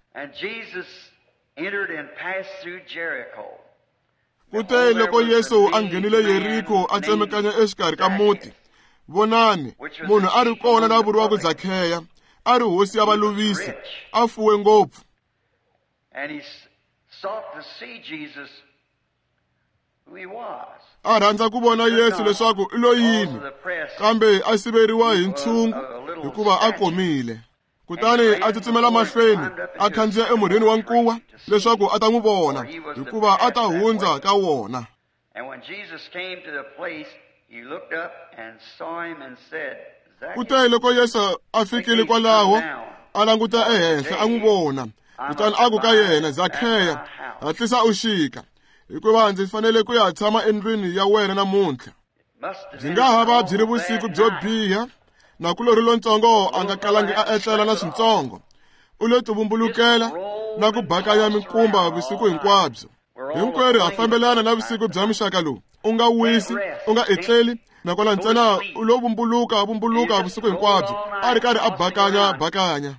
Entered and passed through Jericho. Kute loko Yesu a nghenile Yeriko a tsemekanya exikarhi ka muti, vonani, munhu a ri kona la vuriwaka Zakheya, a ri hosi ya valuvisi, a fuwe ngopfu. And he sought to see Jesus, A rhandza ku vona Yesu leswaku i lo yini, kambe a siveriwa hi ntshungu hikuva a komile. Kutani a tsutsumela mahlweni, a khandziya emurhini wa nkuwa leswaku a ta n'wi vona, hikuva a ta hundza ka wona. Kute loko Yesu a fikile kwalaho, a languta ehenhla a n'wi vona, kutani a ku ka yena, Zakheya, hatlisa u xika, hikuva ndzi fanele ku ya tshama endlwini ya wena namuntlha. Byi nga ha va byi ri vusiku byo biha, nakulorhi lontsongo a nga kalangi a etlela na swintsongo. U lo tivumbulukela na ku bakanya minkumba vusiku hinkwabyo. Hinkwerhu ha fambelana na vusiku bya muxaka lowu. U nga wisi, u nga etleli, nakona ntsena u lo vumbuluka vumbuluka vusiku hinkwabyo, a ri karhi a bakanya bakanya.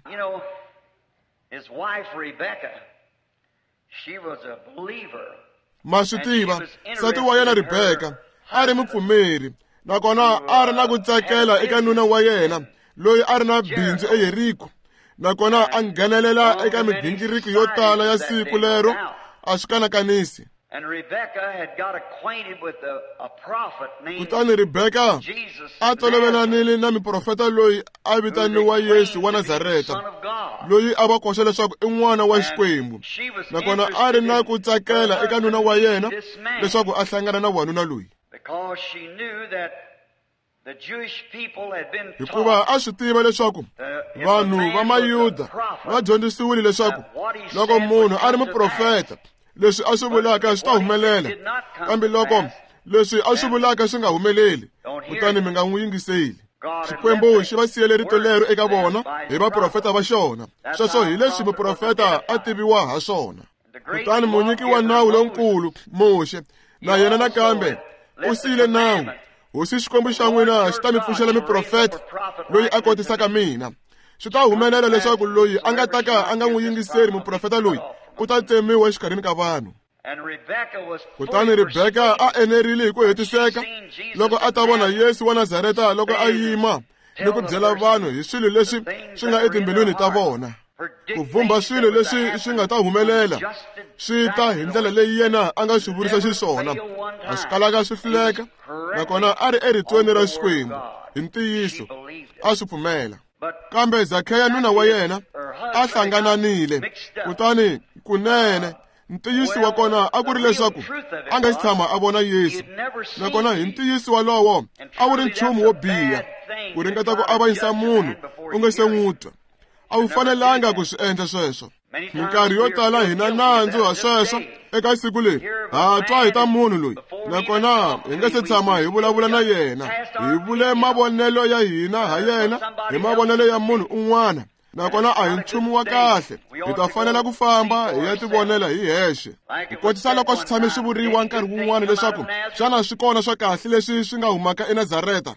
Ma swi tiva, nsati wa yena Rebeka a ri mupfumeri, nakona a ri na ku tsakela eka nuna wa yena loyi a ri na bindzu eYeriko, nakona a nghenelela eka migingiriko yo tala ya siku lero, a swi kanakanisi. Kutani Rebeka a tolovelanile na muprofeta loyi a vitaniwa Yesu wa Nazareta, loyi a va koxa leswaku i n'wana wa Xikwembu, nakona a ri na ku tsakela eka nuna wa yena leswaku a hlangana na wanuna loyi. Hikuva a swi tiva leswaku vanhu va Mayuda va dyondzisiwile leswaku loko munhu a ri muprofeta, leswi a swi vulaka swi ta humelela, kambe loko leswi a swi vulaka swi nga humeleli, kutani mi nga n'wi yingiseli. Xikwembu xi va siyele rito lero eka vona hi vaprofeta va xona. Sweswo hi leswi muprofeta a tiviwa ha swona. Kutani munyiki wa nawu lonkulu Muxe na yena nakambe u siyile nawu. Hosi Xikwembu xa n'wina xi ta mi pfuxela muprofeta loyi a kotisaka mina. Swi ta humelela leswaku loyi a nga ta ka a nga n'wi yingiseli muprofeta loyi u ta tsemiwa exikarhini ka vanhu. Kutani Rebeka a enerile hi ku hetiseka loko a ta vona Yesu wa Nazareta loko a yima ni ku byela vanhu hi swilo leswi swi nga etimbilwini ta vona, ku vumba swilo leswi swi nga ta humelela swi ta hi ndlela leyi yena a nga swi vurisa xiswona. A swi kalaka swi hluleka, nakona a ri eritweni ra Xikwembu hi ntiyiso, a swi pfumela. Kambe Zakheya nuna wa yena a hlangananile, kutani kunene ntiyiso wa kona a ku ri leswaku a nga si tshama a vona Yesu, nakona hi ntiyiso walowo a wu ri nchumu wo biha ku ringeta ku avanyisa munhu u nga se n'wi twa. A wu fanelanga ku swi endla sweswo. Minkarhi yo tala hina nandzu ha sweswo eka siku leri ha twa hi ta munhu loyi, nakona hi nga se tshama hi vulavula na yena, hi vule mavonelo ya hina ha yena hi mavonelo ya munhu un'wana, nakona a hi nchumu wa kahle. Hi ta fanela ku famba hi ya tivonela hi hexe. Ku kotisa loko swi tshame swi vuriwa nkarhi wun'wana leswaku xana swi kona swa kahle leswi swi nga humaka eNazareta.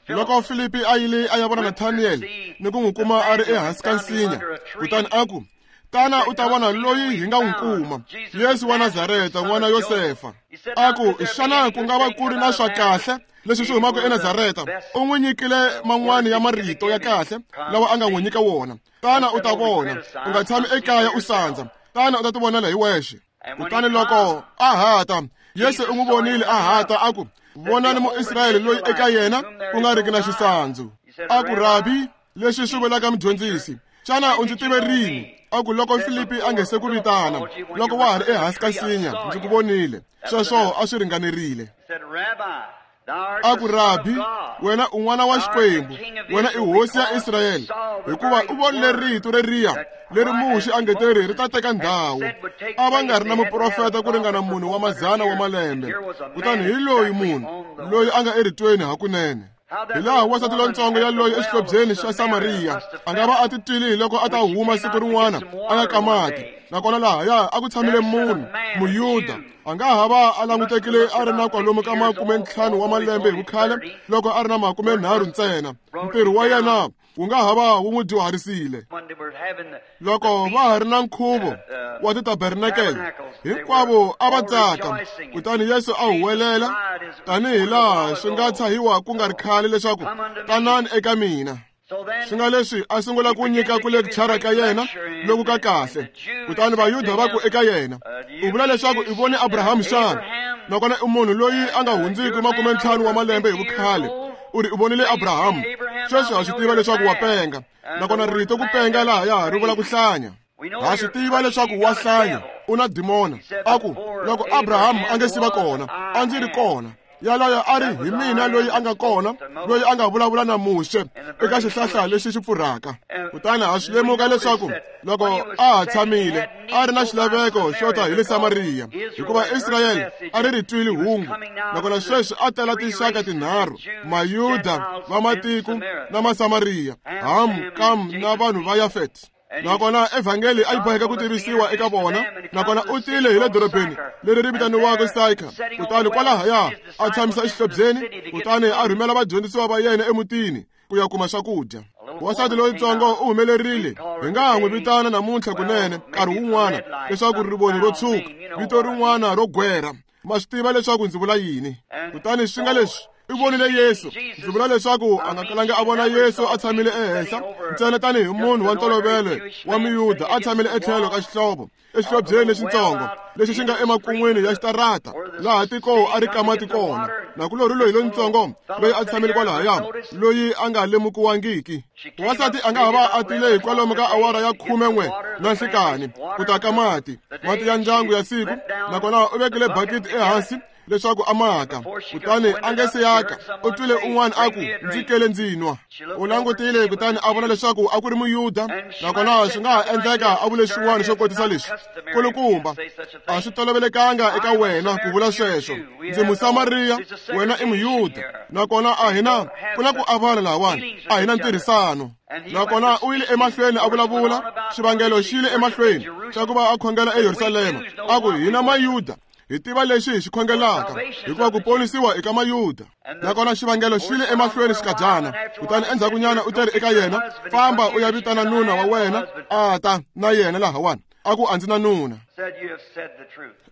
Loko Filipi a yile a ya vona Nathaniel ni ku n'wi kuma a ri ehansi ka nsinya, kutani a ku, tana u ta vona loyi hi nga n'wi kuma, Yesu wa Nazareta n'wana Yosefa. A ku, xana ku nga va ku ri na swa kahle leswi swi humaka eNazareta? U n'wi nyikile man'wani ya marito ya kahle lawa a nga n'wi nyika wona. Tana u ta vona, u nga tshami ekaya u sandza, tana u ta tivonela hi wexe. Kutani loko a hata, Yesu u n'wi vonile a hata, a ku, vonani Muisrayele loyi eka yena ku nga riki na xisandzu. A ku, Rabi, leswi swi vulaka mudyondzisi, xana u ndzi tive rini? A ku, loko Filipi a nge se ku vitana, loko wa ha ri ehansi ka nsinya, ndzi ku vonile. Sweswo a swi ringanerile. A ku, Rabi, wena u n'wana wa Xikwembu, wena i hosi ya Israyele, hikuva u vonile rito reriya leri Muxe a nge te ri ri ta teka ndhawu. A va nga ri na muprofeta ku ringana munhu wa mazana wa malembe, kutani hi loyi munhu loyi a nga eritweni hakunene. Hi laha wansati lontsongo yaloyi exihlobyeni xa Samariya a nga va a titwile hi loko a ta huma siku rin'wana a ya ka mati, nakona lahaya a ku tshamile munhu Muyuda, a nga ha va a langutekile a ri na kwalomu ka makume ntlhanu wa malembe hi vukhale loko a ri na makume nharhu ntsena. Ntirho wa yena wu nga ha va wu n'wi dyuharisile. Loko va ha ri na nkhuvo wa titabernakele, hinkwavo a va tsaka. Kutani Yesu a huwelela tanihi laha swi nga tshahiwa ku nga ri khale leswaku, tanani eka mina. Swi nga leswi a sungula ku nyika ku lecture ka yena loku ka kahle. Kutani Vayuda va ku eka yena, u vula leswaku i vone Abrahamu xana? Nakona i munhu loyi a nga hundziki makume ntlhanu wa malembe hi vukhale. U ri u vonile Abrahamu. Sweswi ha swi tiva leswaku wa penga. Nakona rito ku penga lahaya ri vula ku hlanya. Ha swi tiva leswaku wa hlanya, u na dimona. A ku, loko Abrahamu a nge si va kona, a ndzi ri kona. Yaloyo a ri hi mina loyi a nga kona, loyi a nga vulavula na Muxe eka xihlahla lexi xi pfurhaka. Kutani ha swi lemuka leswaku loko a ha tshamile a ri na xilaveko xo ta hi le Samariya, hikuva Israyele a ri ri twile hungu. Nakona sweswi a tela tinxaka tinharhu: Mayuda, vamatiko na Masamariya, Ham, Kam na vanhu va Yafet. Nakona evhangeli a yi boheka ku tivisiwa eka vona. Nakona u tile hi le dorobeni leri ri vitaniwaka Saika. Kutani kwalahaya a tshamisa exihlobyeni, kutani a rhumela vadyondzisiwa va yena emutini ku ya kuma swakudya. Wansati loyitsongo u humelerile. Hi nga ha n'wi vitana namuntlha kunene nkarhi wun'wana leswaku rivoni ro tshuka, vito rin'wana ro gwera. Ma swi tiva leswaku ndzi vula yini. Kutani swi nga leswi i vonile Yesu. Ndzi vula leswaku a nga kalanga a vona Yesu a tshamile ehenhla ntsena tanihi munhu wa ntolovelo wa Muyuda a tshamile etlhelo ka xihlovo, exihlobyeni lexitsongo lexi xi nga emakun'wini ya xitarata laha tiko a ri kamati kona. Nakulorhi loyi lontsongo loyi a tshamile kwalahaya, loyi a nga lemukiwangiki. Wansati a nga ha va a tile hi kwalomu ka awara ya khume n'we na nhlikani ku ta ka mati, mati ya ndyangu ya siku. Nakona u vekile bakiti ehansi leswaku a maka. Kutani a nge se yaka, u twile un'wana a ku, ndzi kele ndzi nwa. U langutile kutani a vona leswaku a ku ri Muyuda. Nakona swi nga ha endleka a vule xin'wana xo kotisa leswi: kulukumba, a swi tolovelekanga eka wena ku vula sweswo. Ndzi Musamariya, wena i Muyuda. Nakona a hi na ku na ku avana lahawani, a hi na ntirhisano. Nakona u yile emahlweni a vulavula. Xivangelo xi yile emahlweni xa ku va a khongela eYerusalema, a ku, hina Mayuda hi tiva lexi hi xi khongelaka, hikuva ku ponisiwa eka Mayuda. Nakona xivangelo xi le emahlweni xikadyana. Kutani endzhakunyana u teri eka yena, famba u ya vitana nuna wa wena a ta na yena lahawani. A ku, a ndzi na nuna.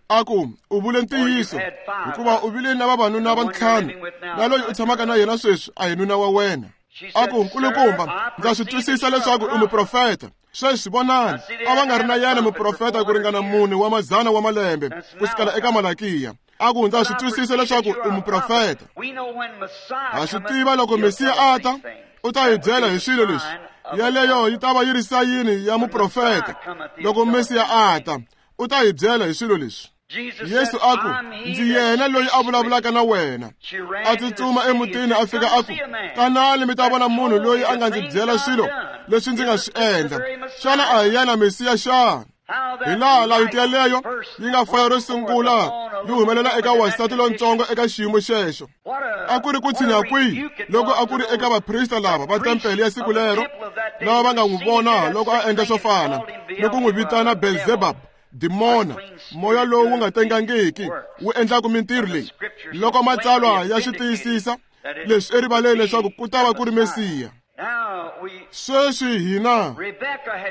A ku, u vule ntiyiso, hikuva u vile na vavanuna va ntlhanu, na loyi u tshamaka na yena sweswi a hi nuna wa wena. A ku, nkulukumba, ndza swi twisisa leswaku u muprofeta. Sweswi vonani, a va nga ri na yena muprofeta ku ringana mune wa mazana wa malembe ku sukela eka Malakiya. A ku, ndza swi twisisa leswaku u muprofeta. Ha swi tiva loko Mesiya a ta, u ta hi byela hi swilo leswi. Yaleyo yi ta va yi ri sayini ya muprofeta. Loko Mesiya a ta, u ta hi byela hi swilo leswi. Yesu a ku, ndzi yena loyi a vulavulaka na wena. A tsutsuma emutini a fika a ku, tanani mi ta vona munhu loyi a nga ndzi byela swilo leswi ndzi nga swi endla. Xana a hi yena Mesiya xana? Hi laha layiti yaleyo yi nga faya ro sungula yi humelela eka wansati lontsongo eka xiyimo xexo. A ku ri ku tshinya kwihi loko a ku ri eka vaprista lava va tempele ya siku lero, lava va nga n'wi vona loko a endla swo fana ni ku n'wi vitana Beelzebub, dimona, moya lowu wu nga tengangiki wu endlaka mintirho leyi. Loko matsalwa ya swi tiyisisa leswi erivaleni leswaku ku ta va ku ri Mesiya. Sweswi hina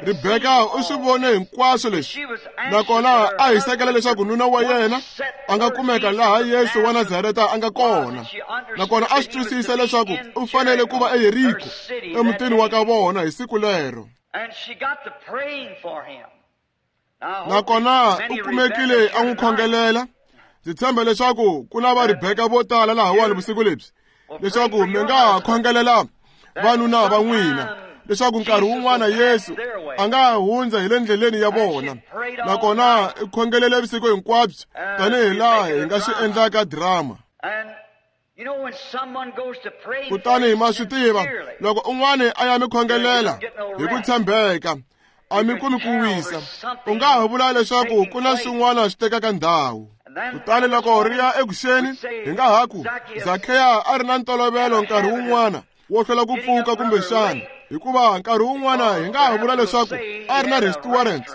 Rebeka u swi vone hinkwaswo leswi, nakona a hisekela leswaku nuna wa yena a nga kumeka laha Yesu wa Nazareta a nga kona. Nakona a swi twisisa leswaku u fanele ku va eYeriko, emutini wa ka vona hi siku lero. Nakona u kumekile a n'wi khongelela. Ndzi tshemba leswaku ku na va Rebeka vo tala lahawani vusiku lebyi, leswaku mi nga ha khongelela vanuna va n'wina, leswaku nkarhi wun'wana Yesu a nga hundza hi le ndleleni ya vona. Nakona i khongelele vusiku hinkwabyo tanihi laha hi nga swi endlaka drama. Kutani ma swi tiva, loko un'wana a ya mi khongelela hi ku tshembeka, a mi kumi ku wisa. U nga ha vula leswaku ku na swin'wana swi tekaka ndhawu. Kutani loko ri ya ekuxeni, hi nga ha ku Zakheya a ri na ntolovelo nkarhi wun'wana wo hlwela ku pfuka kumbexana, hikuva nkarhi wun'wana hi nga ha vula leswaku a ri na restaurant.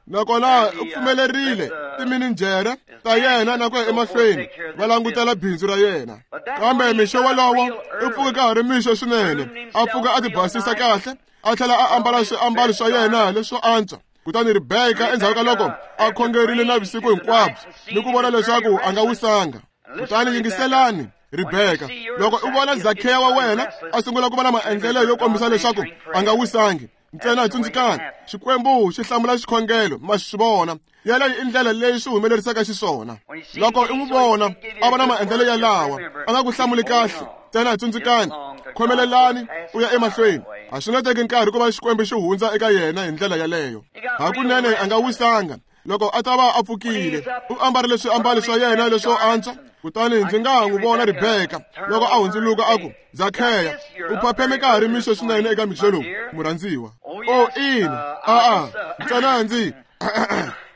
Nakona u pfumelerile timininjhere ta yena na ku ya emahlweni va langutela bindzu ra yena. Kambe mixo wolowo u pfuke ka ha ri mixo swinene, a pfuka a tibasisa kahle, a tlhela a ambala swiambalo swa yena leswo antswa. Kutani Rebeka endzhaku ka loko a khongerile na vusiku hinkwabyo ni ku vona leswaku a nga wisanga. Kutani yingiselani, Rebeka, loko u vona Zakheya wa wena a sungula ku va na maendlelo yo kombisa leswaku a nga wisangi, ntsena tsundzukani, Xikwembu xi hlamula xikhongelo, ma swi vona. Yaleyo i ndlela leyi swi humelerisaka xiswona. Loko i n'wi vona a va na maendlelo yalawa, a nga ku hlamuli kahle, ntsena tsundzukani, khomelelani u ya emahlweni. A swi nga teki nkarhi ku va Xikwembu xi hundza eka yena hi ndlela yaleyo. Hakunene a nga wisanga. Loko a ta va a pfukile, u ambarile swiambalo swa yena leswo antswa. Kutani ndzi nga ha n'wi vona Rebeka loko a hundzuluka a ku, Zakheya, u phapheme ka ha ri mixo swinene eka mixo lowu, murhandziwa. O ina, a-a, ntsena ndzi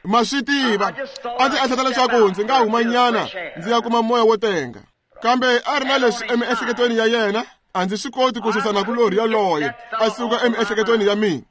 ma swi tiva, a ndzi ehleketa leswaku ndzi nga humanyana ndzi ya kuma moya wo tenga. Kambe a ri na leswi emiehleketweni ya yena, a ndzi swi koti ku susa nakulorhi yaloye a suka emiehleketweni ya mina.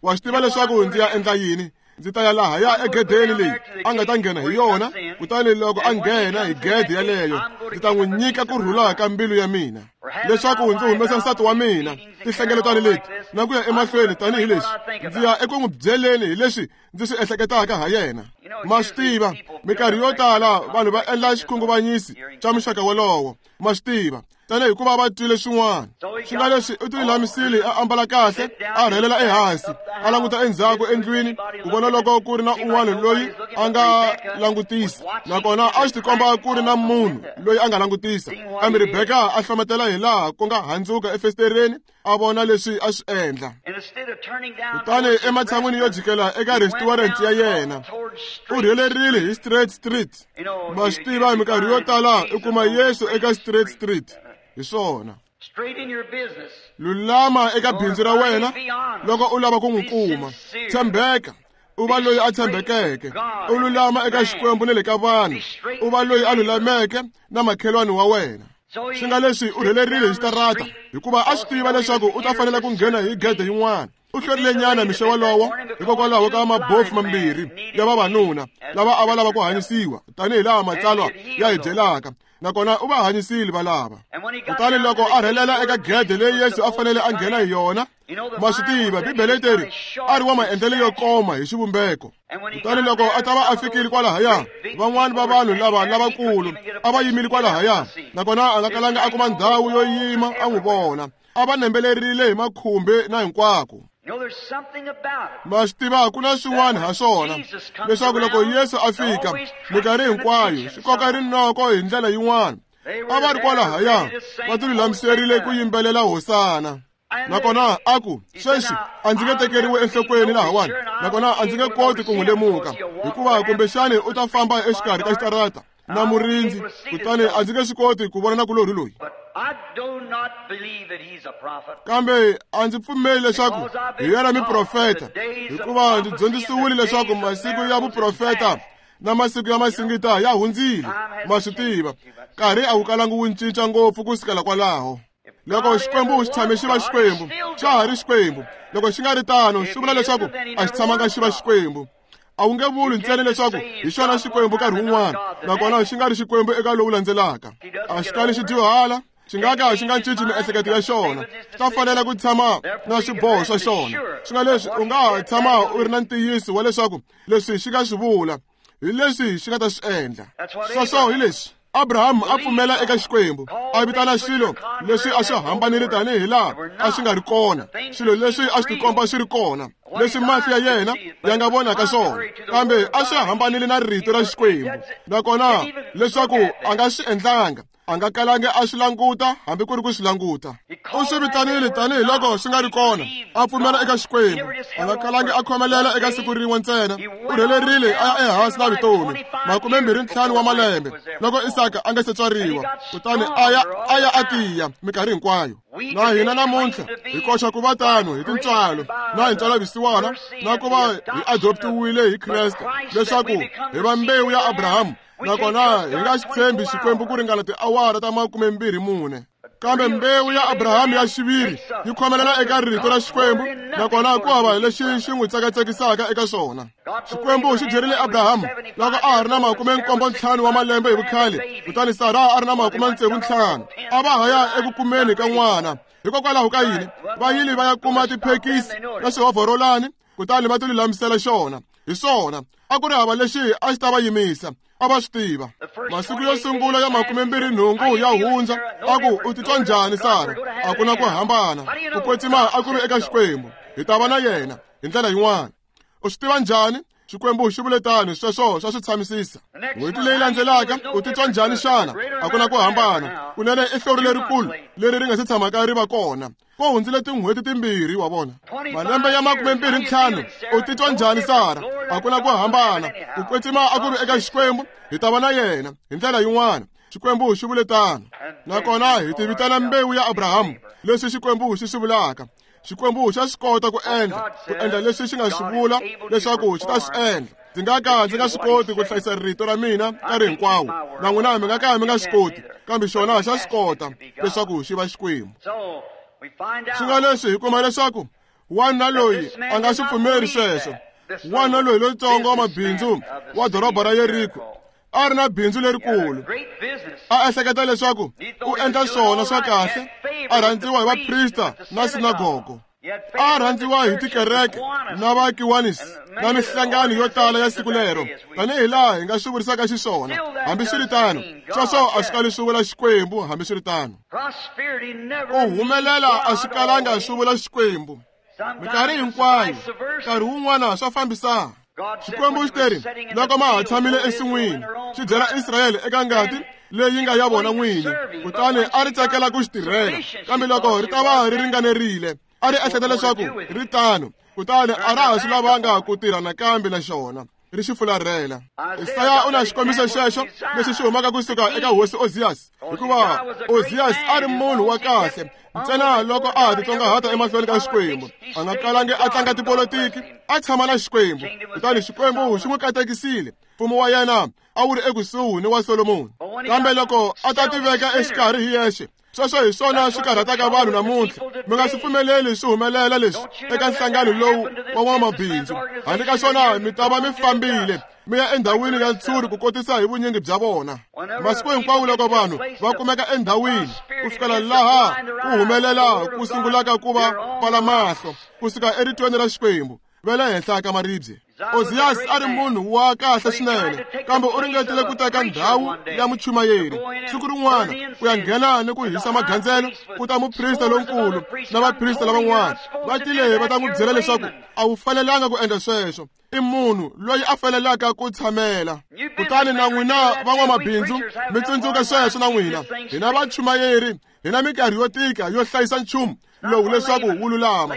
Wa swi tiva leswaku ndzi ya endla yini? Ndzi ta ya lahaya egedeni leyi a nga ta nghena hi yona, kutani loko a nghena hi gede yaleyo, ndzi ta n'wi nyika ku rhula ka mbilu ya mina, leswaku ndzi humesa nsati wa mina tinhlengeletano leti na ku ya emahlweni tanihileswi ndzi ya eku n'wi byeleni hi leswi ndzi swi ehleketaka ha yena. Ma swi tiva, minkarhi yo tala vanhu va endla xikhunguvanyisi xa muxaka wolowo. Ma swi tiva, tanihi hikuva va twile swin'wana. Swi nga leswi u tilulamisile, a ambala kahle, a rhelela ehansi, a languta endzhaku endlwini ku vona loko ku ri na un'wana loyi a nga langutisa, nakona a swi tikomba ku ri na munhu loyi a nga langutisa. Kambe Rebeka a hlometela hi laha ku nga handzuka efestereni, a vona leswi a swi endla. Kutani ematshan'wini yo jikela eka restaurant ya yena, u rhelerile hi Straight Street. Ma swi tiva, minkarhi yo tala u kuma Yesu eka Straight Street. Hi swona. Lulama eka bindzu ra wena loko u lava ku n'wi kuma. Tshembeka, u va loyi a tshembekeke. U lulama eka Xikwembu ni le ka vanhu. U va loyi a lulameke na makhelwani wa wena. Swi nga leswi u rhelerile hi xitarata, hikuva a swi tiva leswaku u ta fanela ku nghena hi gede yin'wana. U hlwerile nyana mixo wolowo hikokwalaho ka mabofu mambirhi ya vavanuna lava a va lava ku hanyisiwa tanihi laha matsalwa ya hi byelaka, nakona u va hanyisile valava. Kutani loko a rhelela eka gede leyi Yesu a fanele a nghena hi yona, ma swi tiva, Bibele teri a ri wa maendlelo yo koma hi xivumbeko. Kutani loko a ta va a fikile kwalahaya, van'wani va vanhu lava lavakulu a va yimile kwalahaya, nakona a nga kalanga a kuma ndhawu yo yima a n'wi vona. A va nembelerile hi makhumbi na hinkwako. Ma swi tiva, ku na swin'wana ha swona, leswaku loko Yesu a fika minkarhi hinkwayo swi koka rinoko hi ndlela yin'wana. A va ri kwalahaya va tilulamiserile ku yimbelela hosana. Nakona a ku, sweswi a ndzi nge tekeriwi enhlokweni lahawani, nakona a ndzi nge koti ku n'wi lemuka, hikuva kumbexani u ta famba exikarhi ka xitarata na murindzi, kutani a ndzi nge swi koti ku vona nakulorhi loyi. Kambe a ndzi pfumeli leswaku hi yena miprofeta, hikuva ndzi dyondzisiwile leswaku masiku ya vuprofeta na masiku ya masingita ya hundzile. Ma swi tiva, nkarhi a wu kalangi wu cinca ngopfu ku sukela kwalaho. Loko Xikwembu xi tshame xi va Xikwembu, xa ha ri Xikwembu. Loko xi nga ri tano, swi vula leswaku a xi tshamanga xi va Xikwembu. A wu nge vuli ntsena leswaku hi xona Xikwembu nkarhi wun'wana, nakona xi nga ri Xikwembu eka lowu landzelaka. A xi kali xi dyuhala, xi nga ka xi nga cinci miehleketo ya xona. Xi ta fanela ku tshama na swiboho swa xona. Swi nga leswi u nga ha tshama u ri na ntiyiso wa leswaku leswi xi nga swi vula hi leswi xi nga ta swi endla. Sweswo hi leswi Abraham a pfumela eka Xikwembu, a vitana swilo leswi a swi hambanile tanihi laha a swi nga ri kona, swilo leswi a swi tikomba swi ri kona, leswi mahlo ya yena ya nga vonaka swona, kambe a swi hambanile na rito ra Xikwembu. Nakona leswaku a nga swi endlanga, a nga kalangi a swi languta hambi ku ri ku swi languta. U swi vitanile tanihi loko swi nga ri kona, a pfumela eka Xikwembu. A nga kalangi a khomelela eka siku rin'we ntsena. U rhelerile a ya ehansi na vutomi makumembirhi ntlhanu wa malembe loko Isaka a nga se tswariwa, kutani a ya a ya a tiya minkarhi hinkwayo. Na hina namuntlha hi koxa ku va tano hi tintswalo na hi ntswalavusiwana na ku va hi adoptiwile hi Kreste leswaku hi va mbewu ya Abrahamu, nakona hi nga xi tshembi Xikwembu ku ringana tiawara ta makumembirhi mune. Kambe mbewu ya Abrahamu ya xiviri yi khomelela eka rito ra Xikwembu, nakona ku hava lexi xi n'wi tsakatsekisaka eka swona. Xikwembu xi byerile Abrahamu loko a ha ri na makume nkombo ntlhanu wa malembe hi vukhale, kutani Sara a ri na makume tsevu ntlhanu. A va ha ya eku kumeni ka n'wana. Hikokwalaho ka yini va yile va ya kuma tiphekisi na swihovhorolani, kutani va tilulamisela xona. Hi swona, a ku ri hava lexi a xi ta va yimisa. A va swi tiva. Masiku yo sungula ya makumembirhi nhungu ya hundza, a ku u titwa njhani Sara? A ku na ku hambana. Ku kwetsima a ku ri eka Xikwembu. Hi ta va na yena hi ndlela yin'wana. U swi tiva njhani Xikwembu xi vule tano, sweswo swa swi tshamisisa. N'hweti leyi landzelaka u titwa njhani xana? A ku na ku hambana. Kunene i hlori lerikulu leri ri nga se tshamaka ri va kona. Ku hundzile tin'hweti timbirhi wa vona. Malembe ya makume mbirhi ntlhanu u titwa njhani Sara? A ku na ku hambana. Ku kwetsima a ku ri eka Xikwembu, hi ta va na yena hi ndlela yin'wana. Xikwembu xi vule tano. Nakona hi ti vitana mbewu ya Abrahamu, leswi Xikwembu xi swi vulaka. Xikwembu xa swi kota ku endla, ku endla leswi xi nga swi vula leswaku xi ta swi endla. Ndzi nga ka ndzi nga swi koti ku hlayisa rito ra mina nkarhi hinkwawo, na n'wina mi nga ka mi nga swi koti, kambe xona xa swi kota leswaku xi va Xikwembu. Swi nga leswi hi kuma leswaku wanuna loyi a nga swi pfumeri sweswo. Wanuna loyi lontsongo wa mabindzu wa doroba ra Yeriko a ri na bindzu lerikulu. A ehleketa leswaku u endla swona swa kahle, a rhandziwa hi vaprista na sinagogo. A rhandziwa hi tikereke na vakiwanisi na mihlangano yo tala ya siku lero, tanihi laha hi nga swi vurisaka xiswona. Hambiswiritano, sweswo a swi kali swi vula Xikwembu. Hambiswiritano, ku humelela a swi kalanga swi vula Xikwembu. Minkarhi hinkwayo, nkarhi wun'wana swa fambisana. Xikwembu xi teri loko ma ha tshamile ensin'wini, xi byela Israyele eka ngati leyi nga ya vona n'wini, kutani a ri tsakela ku xi tirhela. Kambe loko ri ta va ri ringanerile, a ri ehleketa leswaku ri tano, kutani a ra ha swi lavanga ku tirha nakambe na xona, ri xi fularhela. Isaya u na xikombiso xexo lexi xi humaka kusuka eka hosi Ozias, hikuva Ozias a ri munhu wa kahle ntsena loko a ha titsongahata emahlweni ka Xikwembu. A nga kalangi a tlanga tipolotiki, a tshama na Xikwembu, kutani Xikwembu xi n'wi katekisile. Mfumo wa yena a wu ri ekusuhi ni wa Solomoni. Kambe loko a ta tiveka exikarhi hi yexe, sweswo hi swona swi karhataka vanhu namuntlha. Mi nga swi pfumeleli swi humelela leswi eka nhlangano lowu wa n'wamabindzu. Handle ka swona mi ta va mi fambile mi ya endhawini ya ntshuri ku kotisa hi vunyingi bya vona. Masiku hinkwawo loko vanhu va kumeka endhawini ku fikela laha ku humelela ku sungulaka ku va pfala mahlo kusuka eritweni ra Xikwembu va le henhla ka maribye. Ozias a ri munhu wa kahle swinene, kambe u ringetile ku teka ndhawu ya muchumayeri. Siku rin'wana ku ya nghena ni ku hisa magandzelo, ku ta muprista lonkulu na vaprista lavan'wana va tile va ta n'wi byela leswaku a wu fanelanga ku endla sweswo. I munhu loyi a fanelaka ku tshamela. Kutani na n'wina van'wamabindzu mi tsundzuka sweswo na n'wina. Hina vachumayeri hi na minkarhi yo tika yo hlayisa nchumu lowu leswaku wu lulama.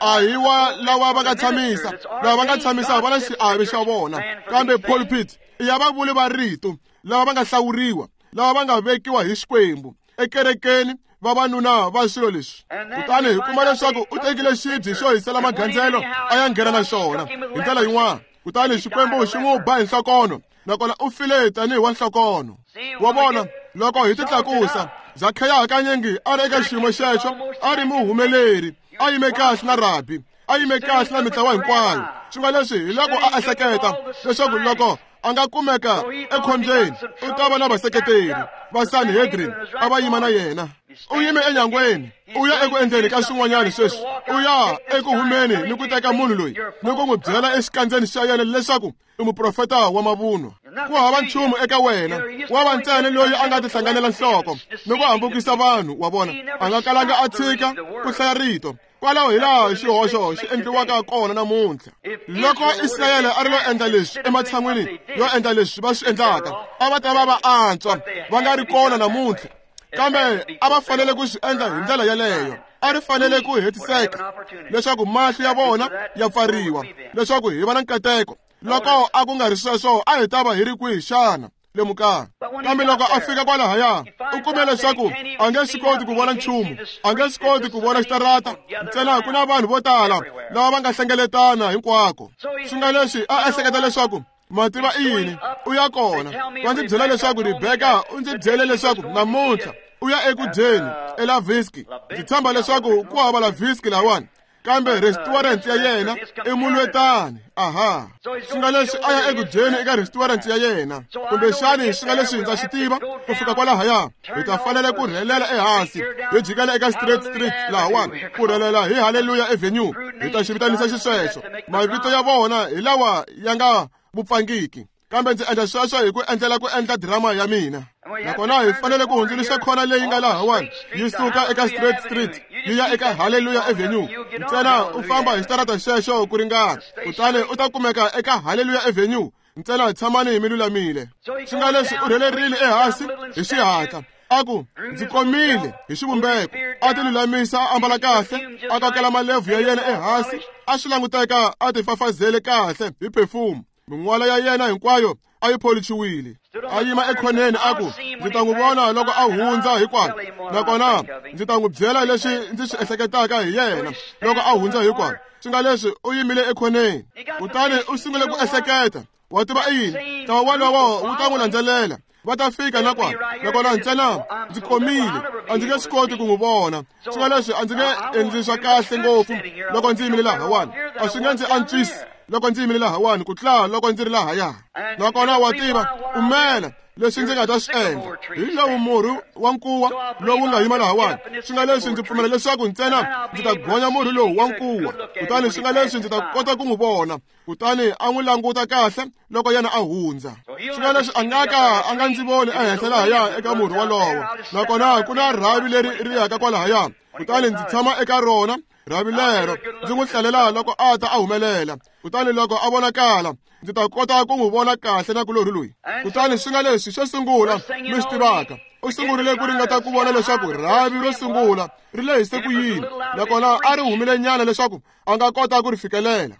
A hi wa lava va nga tshamisa, lava va nga tshamisa va na xiave xa vona, kambe pulpit i ya vavuli va rito lava va nga hlawuriwa, lava va nga vekiwa hi Xikwembu ekerekeni, vavanuna va swilo leswi. Kutani hi kuma leswaku u tekile xibye xo hisela magandzelo a ya nghena na xona hi ndlela yin'wana, kutani Xikwembu xi n'wi ba hi nhlokono, nakona u file tanihi wa nhlokono. Wa vona, loko hi titlakusa, Zakheya hakanyingi a ri eka xiyimo xexo, a ri muhumeleri, a yime kahle na rabi, a yime kahle na mitlawa hinkwayo. Swi nga leswi hi loko a ehleketa leswaku loko a nga kumeka ekhombyeni u ta va na vaseketeri va Sanhedrin a va yima na yena. U yime enyangweni, u ya eku endleni ka swin'wanyana sweswi, u ya eku humeni ni ku teka munhu loyi ni ku n'wi byela exikandzeni xa yena leswaku i muprofeta wa mavunwa. Ku hava nchumu eka wena, wa va ntsena loyi a nga tihlanganela nhloko ni ku hambukisa vanhu wa vona. A nga kalanga a tshika ku hlaya rito. Kwalaho hi laha xihoxo xi endliwaka kona namuntlha. Loko Israyele a ri lo endla leswi ematshan'wini yo endla leswi va swi endlaka, a va ta va va antswa va nga ri kona namuntlha. Kambe a va fanele ku swi endla hi ndlela yeleyo. A ri fanele ku hetiseka leswaku mahlo ya vona ya pfariwa, leswaku hi va na nkateko. Loko a ku nga ri sweswo, a hi ta va hi ri kwihi xana? Lemukani. Kambe loko a fika kwalahaya, u kume leswaku a nge swi koti ku vona nchumu, a nge swi koti ku vona xitarata, ntsena ku na vanhu vo tala lava va nga hlengeletana hinkwako. Swi nga leswi a ehleketa leswaku mativa i yini, u ya kona. Va ndzi byela leswaku Rebeka u ndzi byele leswaku namuntlha u ya eku dyeni eLaviski. Ndzi tshemba leswaku ku hava Laviski lahawani, kambe restaurant ya yena i mulwetani. Aha, swi nga leswi a ya eku dyeni eka restaurant ya yena, kumbexani swi nga leswi ndza swi tiva ku fika kwalahaya hi ta fanele ku rhelela ehansi hi jikela eka Straight Street lahawani, ku rhelela hi Hallelujah Avenue, hi ta xi vitanisa xisweswo. Mavito ya vona hi lawa ya nga vupfangiki, kambe ndzi endla sweswo hi ku endlela ku endla drama ya mina. Nakona hi fanele ku hundzuluxa khona leyi nga lahawani yi suka eka Straight Street yi ya eka Hallelujah Avenue. Ntsena u famba hi xitarata xexo ku ringana, kutani u ta kumeka eka Hallelujah Avenue. Ntsena tshamani mi lulamile. Swi nga leswi u rhelerile ehansi hi xihatla. A ku ndzi komile hi xivumbeko, a ti lulamisa, a ambala kahle, a kokela malevhu ya yena ehansi, a swi languteka a ti fafazele kahle hi perfume. Min'wala ya yena hinkwayo a yi pholichiwile. A yima ekhoneni a ku ndzi ta n'wi vona loko a hundza hikwalo, nakona ndzi ta n'wi byela leswi ndzi swi ehleketaka hi yena loko a hundza hikwalo. Swi nga leswi u yimile ekhoneni, kutani u sungule ku ehleketa, wa tiva i yini, ntlawa wolowo wu ta n'wi landzelela, va ta fika na kwala, nakona ntsena ndzi komile, a ndzi nge swi koti ku n'wi vona. Swi nga leswi a ndzi nge endli swa kahle ngopfu loko ndzi yimile lahawani, a swi nge ndzi antswisi loko ndzi yimile lahawani ku tlula loko ndzi ri lahaya. Nakona wa tiva pfumela leswi ndzi nga ta swi endla hi lowu murhi wa nkuwa lowu nga yima lahawani. Swi nga leswi ndzi pfumela leswaku ntsena ndzi ta gonya murhi lowu wa nkuwa, kutani swi nga leswi ndzi ta kota ku n'wi vona. Kutani a n'wi languta kahle loko yena a hundza. Swi nga leswi a nga ka a nga ndzi voni ehenhla lahaya eka murhi wolowo, nakona ku na rhavi leri ri yaka kwalahaya, kutani ndzi tshama eka rona rhavi lero ndzi n'wi hlalela loko a ta a humelela. Kutani loko a vonakala ndzi ta kota ku n'wi vona kahle na kulorhi loyi. Kutani swi nga leswi xo sungula mi swi tivaka, u sungurile ku ringeta ku vona leswaku rhavi ro sungula ri lehise ku yini, nakona a ri humile nyana leswaku a nga kota ku ri fikelela.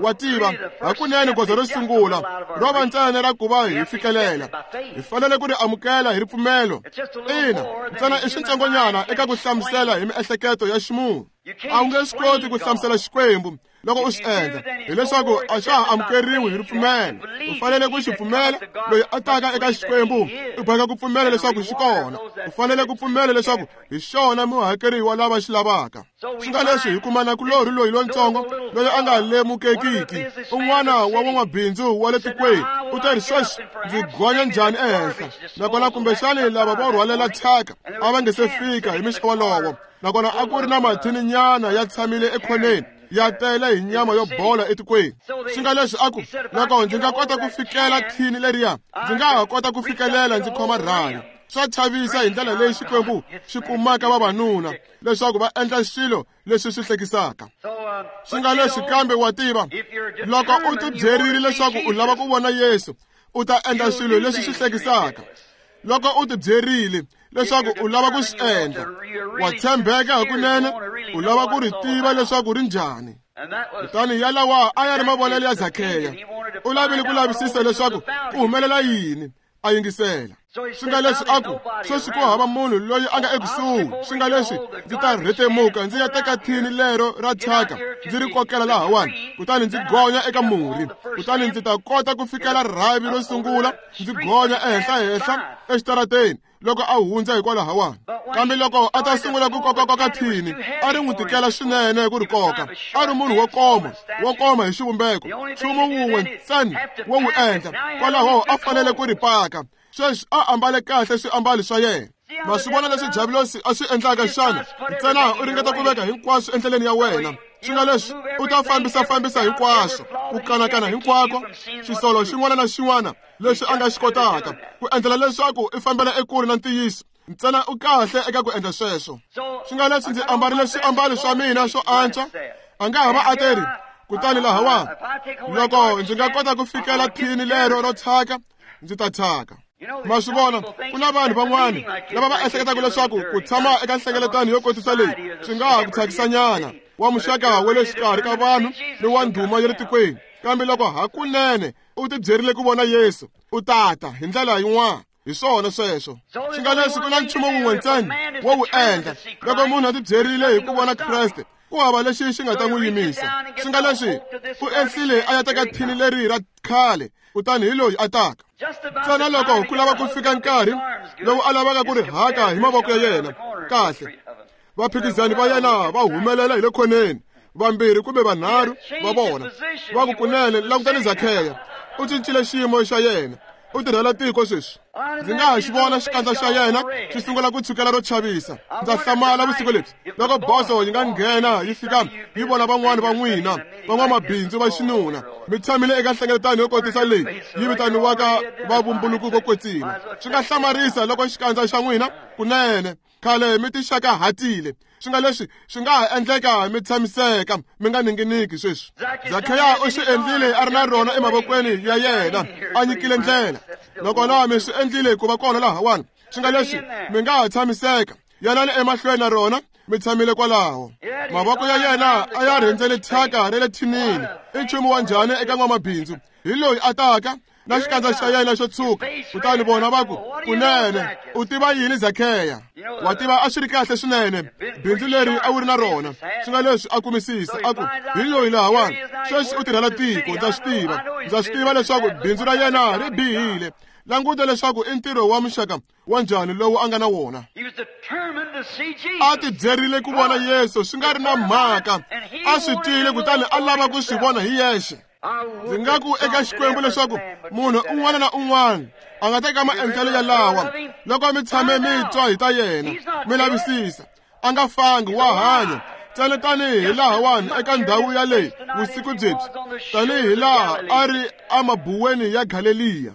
Wa tiva hakunene goza ro sungula ro va ntsena ra ku va hi fikelela, hi fanele ku ri amukela hi ripfumelo. Ina, ntsena i switsongonyana eka ku hlamusela hi miehleketo ya ximunhu. A wu nge swi koti ku hlamusela Xikwembu loko u swi endla, hileswaku a xa ha amukeriwi hi ripfumelo. U fanele ku xi pfumela. Loyi a taka eka Xikwembu u boheka ku pfumela leswaku xi kona. U fanele ku pfumela leswaku hi xona muhakeriwa lava xi lavaka. Swi nga leswi hi kuma nakulorhi loyi lontsongo loyi a nga lemukekiki, un'wana wa van'wabindzu wa le tikweni, u ta ri sweswi ndzi gonya njhani ehenhla, nakona kumbexani lava vo rhwalela thyaka a va nge se fika hi mixo wolowo, nakona a ku ri na mathininyana ya tshamile ekhoneni ya tele hi nyama yo bola etikweni. Swi nga leswi a ku loko ndzi nga kota ku fikela thini leriya, ndzi nga ha kota ku fikelela ndzi khoma rhavi. Swa chavisa hi ndlela leyi Xikwembu xi kumaka vavanuna leswaku va endla swilo leswi swi hlekisaka. Swi nga leswi kambe wa tiva, loko u tibyerile leswaku u lava ku vona Yesu, u ta endla swilo leswi swi hlekisaka. Loko u tibyerile leswaku u lava ku swi endla, wa tshembeka hakunene, u lava ku ri tiva leswaku ri njhani. Kutani yalawa a ya ri mavonelo ya Zakheya. U lavile ku lavisisa leswaku ku humelela yini, a yingisela. Swi nga leswi a ku sweswi ku hava munhu loyi a nga ekusuhi. Swi nga leswi ndzi ta rhetemuka ndzi ya teka thini lero ra thyaka ndzi ri kokela lahawani, kutani ndzi gonya eka murhi, kutani ndzi ta kota ku fikela rhavi ro sungula ndzi gonya ehenhla-henhla exitarateni loko a hundza hikwalahawani. Kambe loko a ta sungula ku kokakoka thini, a ri n'wi tikela swinene ku ri koka. A ri munhu wo koma, wo koma hi xivumbeko, nchumu wun'we ntsena wo wu endla, kwalaho a fanele ku ri paka. Sweswi a ambale kahle swiambalo swa yena. Ma swi vona leswi Diabulosi a swi endlaka xana? Ntsena u ringeta ku veka hinkwaswo endleleni ya wena. Swi nga leswi u ta fambisa-fambisa hinkwaswo, ku kanakana hinkwako, xisolo xin'wana na xin'wana lexi a nga xi kotaka, ku endlela leswaku i fambela ekule na ntiyiso. Ntsena u kahle eka ku endla sweswo. Swi nga leswi ndzi ambarile swiambalo swa mina swo antswa, a nga ha va a teri, kutani lahawani, loko ndzi nga kota ku fikela thini lero ro thyaka, ndzi ta thyaka. Ma swi vona, ku na vanhu van'wana lava va ehleketaka leswaku ku tshama eka nhlengeletano yo kotisa leyi swi nga ha ku thyakisanyana wa muxaka wa le xikarhi ka vanhu ni wa ndhuma ya le tikweni. Kambe loko hakunene u tibyerile ku vona Yesu, u tata hi ndlela yin'wana. Hi swona sweswo. Swi nga leswi ku na nchumu wun'we ntsena wo wu endla loko munhu a tibyerile hi ku vona Kreste, ku hava lexi xi nga ta n'wi yimisa. Swi nga leswi u ehlile a ya teka thini leri ra khale, kutani hi loyi a taka. Ntsena loko ku lava ku fika nkarhi lowu a lavaka ku ri haka hi mavoko ya yena kahle, vaphikizani va yena va humelela hi le khoneni, vambirhi kumbe vanharhu va vona va ku kunene langutani Zakheya, u cincile xiyimo xa yena, u tirhela tiko sweswi. Ndzi nga ha xi vona xikandza xa yena xi sungula ku tshukela ro chavisa. Ndza hlamala vusiku lebyi loko boso yi nga nghena yi fika yi vona van'wana va n'wina van'wamabindzu va xinuna mi tshamile eka nhlengeletano yo kotisa leyi yi vitaniwaka vavumbuluki vo kwetsima. Swi nga hlamarisa loko xikandza xa n'wina kunene khale mi tixakahatile, Swi nga leswi swi nga ha endleka mi tshamiseka mi nga ninginiki sweswi. Zakheya u swi endlile a ri na rona emavokweni ya yena, a nyikile ndlela. Nakona mi swi endlile ku va kona lahawani. Swi nga leswi mi nga ha tshamiseka, yanani emahlweni na rona, mi tshamile kwalaho. Mavoko ya yena a ya rhendzele thyaka ra le thinini. I nchumu wa njhani eka n'wamabindzu? Hi loyi a taka na xikandza xa yena xo tshuka. Kutani vona va ku, kunene u tiva yini Zakheya? Wa tiva a swi ri kahle swinene bindzu leri a wu ri na rona. Swi nga leswi a kumisisa a ku, hi loyi lahawani sweswi u tirhela tiko. Ndza swi tiva, ndza swi tiva leswaku bindzu ra yena ri bihile. Languta leswaku i ntirho wa muxaka wa njhani lowu a nga na wona. A tibyerile ku vona Yesu swi nga ri na mhaka, a swi twile kutani a lava ku swi vona hi yexe. Ndzi nga ku eka Xikwembu leswaku munhu un'wana na un'wana a nga teka maendlelo yalawa loko mi tshame mi twa hi ta yena, mi lavisisa. A nga fangi, wa hanya ntsena tanihi lahawani eka ndhawu yaleyi vusiku byebyi, tanihi laha a ri emabuweni ya Galeliya.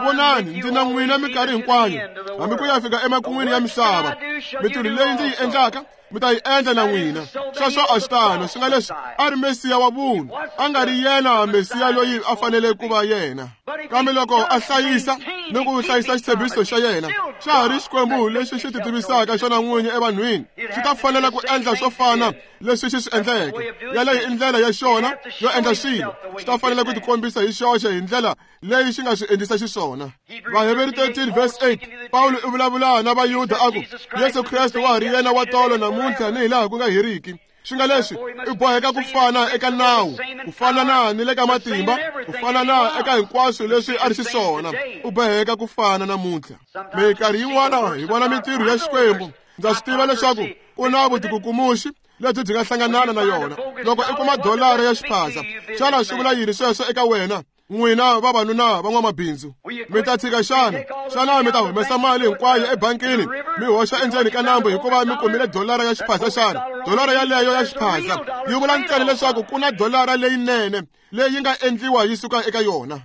Vonani, ndzi na n'wina minkarhi hinkwayo, hambi ku ya fika emakun'wini ya misava. Mintirho leyi ndzi yi endlaka mi ta yi endla na n'wina. Sweswo a swi tano. Swi nga leswi a ri Mesiya wa vunhu, a nga ri yena Mesiya loyi a fanele ku va yena. Kambe loko a hlayisa ni ku hlayisa xitshembiso xa yena, xa ha ri Xikwembu lexi xi ti tivisaka xona n'winyi evanhwini, xi ta fanela ku endla swo fana leswi xi swi endleke. Yaleyo i ndlela ya xona yo endla swilo. Xi ta fanela ku tikombisa hi xoxe hi ndlela leyi xi nga swi endlisa xiswona. Vaheveri thirteen verse eight, Pawulo u vulavula na Vayuda a ku, Yesu Kreste wa ha ri yena wa tolo namuntlha ni hilaha ku nga heriki. Swi nga leswi i boheka ku fana eka nawu, ku fana na ni le ka matimba, ku fana na eka hinkwaswo leswi a ri xiswona. U boheka ku fana namuntlha. Minkarhi yin'wana hi vona mintirho ya Xikwembu. Ndza swi tiva leswaku ku na vutikukumuxi lebyi byi nga hlanganana na yona. Loko i kuma dolara ya xiphaza, xana swi vula yini sweswo eka wena? N'wina vavanuna va n'wamabindzu, mi ta tshika xana? Xana mi ta humesa mali hinkwayo ebankini mi hoxa endzeni ka nambu hikuva mi kumile dolara ya xiphaza xana? Dolara yaleyo ya xiphaza yi vula ntsena leswaku ku na dolara leyinene leyi nga endliwa yi suka eka yona.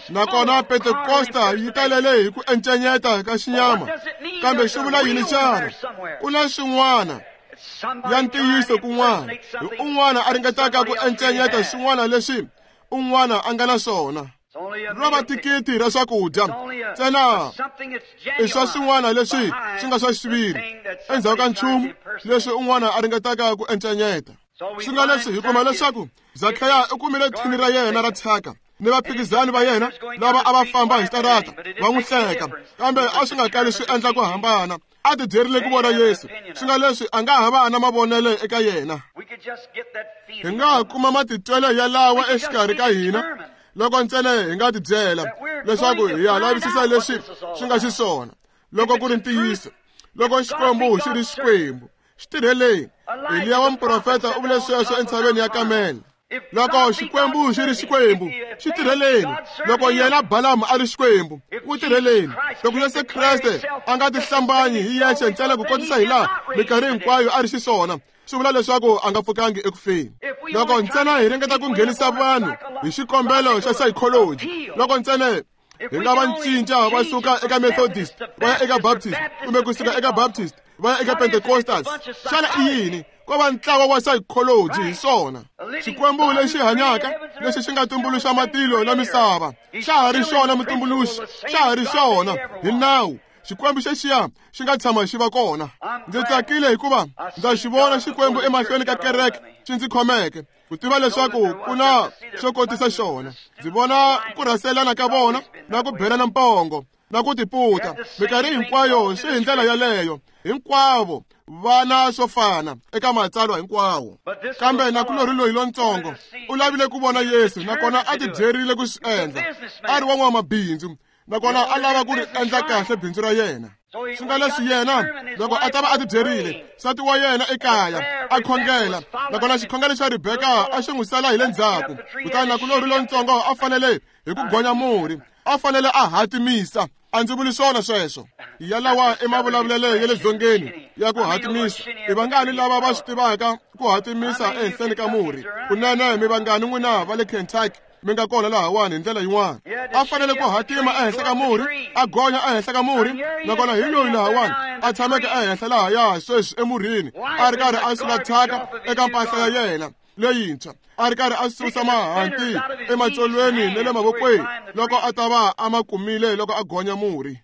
Nakona Pentekosta yi talele hi ku encenyeta ka xinyama. Kambe swi vula yini xana? Ku na swin'wana ya ntiyiso kun'wana, hi un'wana a ringetaka ku encenyeta swin'wana leswi un'wana a nga na swona. Ro va thikithi ra swakudya ntsena i swa swin'wana leswi swi nga swa xiviri endzhaku ka nchumu leswi un'wana a ringetaka ku encenyeta. Swi nga leswi hi kuma leswaku Zakheya u kumile thini ra yena ra thyaka ni vaphikizani va yena lava a va famba hi xitarata va n'wi hleka, kambe a swi nga kali swi endla ku hambana. A tibyerile ku vona Yesu. Swi nga leswi a nga ha va na mavonelo eka yena. Hi nga ha kuma matitwelo yalawa exikarhi ka hina loko ntsena hi nga tibyela leswaku hi ya lavisisa leswi swi nga xiswona. Loko ku ri ntiyiso, loko Xikwembu xi ri Xikwembu, xi tirheleni. Eliya wa muprofeta u vule sweswo entshaveni ya Kamele. Loko Xikwembu xi ri Xikwembu, xi tirheleni. Loko yena Balamu a ri Xikwembu, n'wi tirheleni. Loko Yesu Kreste a nga tihlambanyi hi yexe ntsena ku kotisa hi laha minkarhi hinkwayo a ri xiswona, swi vula leswaku a nga pfukangi eku feni. Loko ntsena hi ringeta ku nghenisa vanhu hi xikombelo xa psychology, loko ntsena hi nga va cinca va suka eka Methodist va ya eka Baptist, kumbe kusuka eka Baptist va ya eka Pentecostals, xana i yini? Ko va ntlawa wa psychology hi swona. Xikwembu lexi hanyaka lexi xi nga tumbuluxa matilo na misava xa ha ri xona mutumbuluxi, xa ha ri xona hi nawu. Xikwembu xexiya xi nga tshama xi va kona. Ndzi tsakile hikuva ndza xi vona Xikwembu emahlweni ka kereke xi ndzi khomeke ku tiva leswaku ku na xo kotisa xona. Ndzi vona ku rhaselana ka vona na ku belana mpongo na ku tiputa minkarhi hinkwayo swi hi ndlela yaleyo. Hinkwavo vana swo fana eka matsalwa hinkwawo. Kambe nakulorhi loyi lontsongo u lavile ku vona Yesu, nakona a tibyerile ku swi endla. A ri wa n'wamabindzu, nakona a lava ku ri endla kahle bindzu ra yena. Swi nga leswi yena loko a ta va a tibyerile, nsati wa yena ekaya a khongela, nakona xikhongelo xa Rebeka a xi n'wi sala hi le ndzhaku. Kutani nakulorhi lontsongo a fanele hi ku gonya murhi, a fanele a hatimisa. A ndzi vuli swona sweswo. Yalawa i mavulavulelo ya le dzongeni ya ku hatimisa. I vangani lava va swi tivaka ku hatimisa ehenhleni ka murhi? Kunene mi vangani n'wina va le Kentucky mi nga kona lahawani hi ndlela yin'wana. A fanele ku hatima ehenhla ka murhi, a gonya ehenhla ka murhi, nakona hi loyi lahawani a tshameke ehenhla lahaya sweswi emurhini, a ri karhi a sula thyaka eka mpahla ya yena leyintshwa, a ri karhi a susa mahanti ematsolweni na le mavokweni loko a ta va a ma kumile loko a gonya murhi.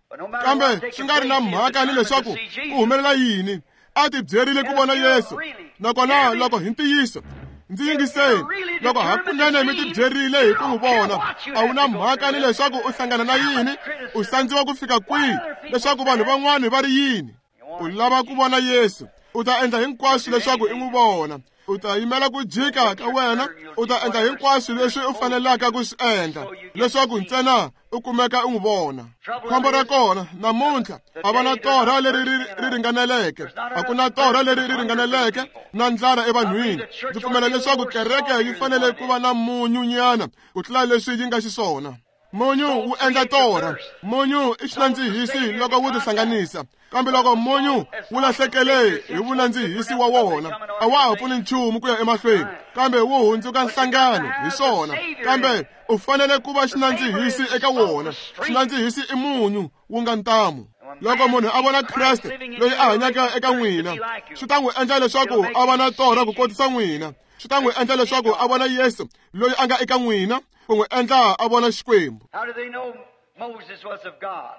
Kambe swi nga ri na mhaka ni leswaku ku humelela yini, a ti byerile ku vona Yesu. Nakona loko hi ntiyiso, ndzi yingiseni, loko hakunene mi ti byerile hi ku n'wi vona, a wu na mhaka ni leswaku u hlangana na yini, u sandziwa ku fika kwihi, leswaku vanhu van'wani va ri yini. U lava ku vona Yesu, u ta endla hinkwaswo leswaku i n'wi vona. U ta yimela ku jika ka wena, u ta endla hinkwaswo leswi u fanelaka ku swi endla leswaku ntsena u kumeka u n'wi vona. Khombo ra kona namuntlha a va na torha leri ri ringaneleke, a ku na torha leri ri ringaneleke na ndlala evanhwini. Ndzi pfumela leswaku kereke yi fanele ku va na munyunyana ku tlula leswi yi nga xiswona. Munyu wu endla torha, munyu i xinandzihisi loko wu tihlanganisa, kambe loko munyu wu lahlekele hi vunandzihisi wa wona, a wa ha pfuni nchumu ku ya emahlweni, kambe wu hundzuka nhlangano hi swona. Kambe u fanele ku va xinandzihisi eka wona. Xinandzihisi i munyu wu nga ntamu. Loko munhu a vona Kreste loyi a hanyaka eka n'wina, swi ta n'wi endla leswaku a va na torha ku kotisa n'wina. Swi ta n'wi endla leswaku a vona Yesu loyi a nga eka n'wina, ku n'wi endla a vona Xikwembu. How do they know Moses was of God?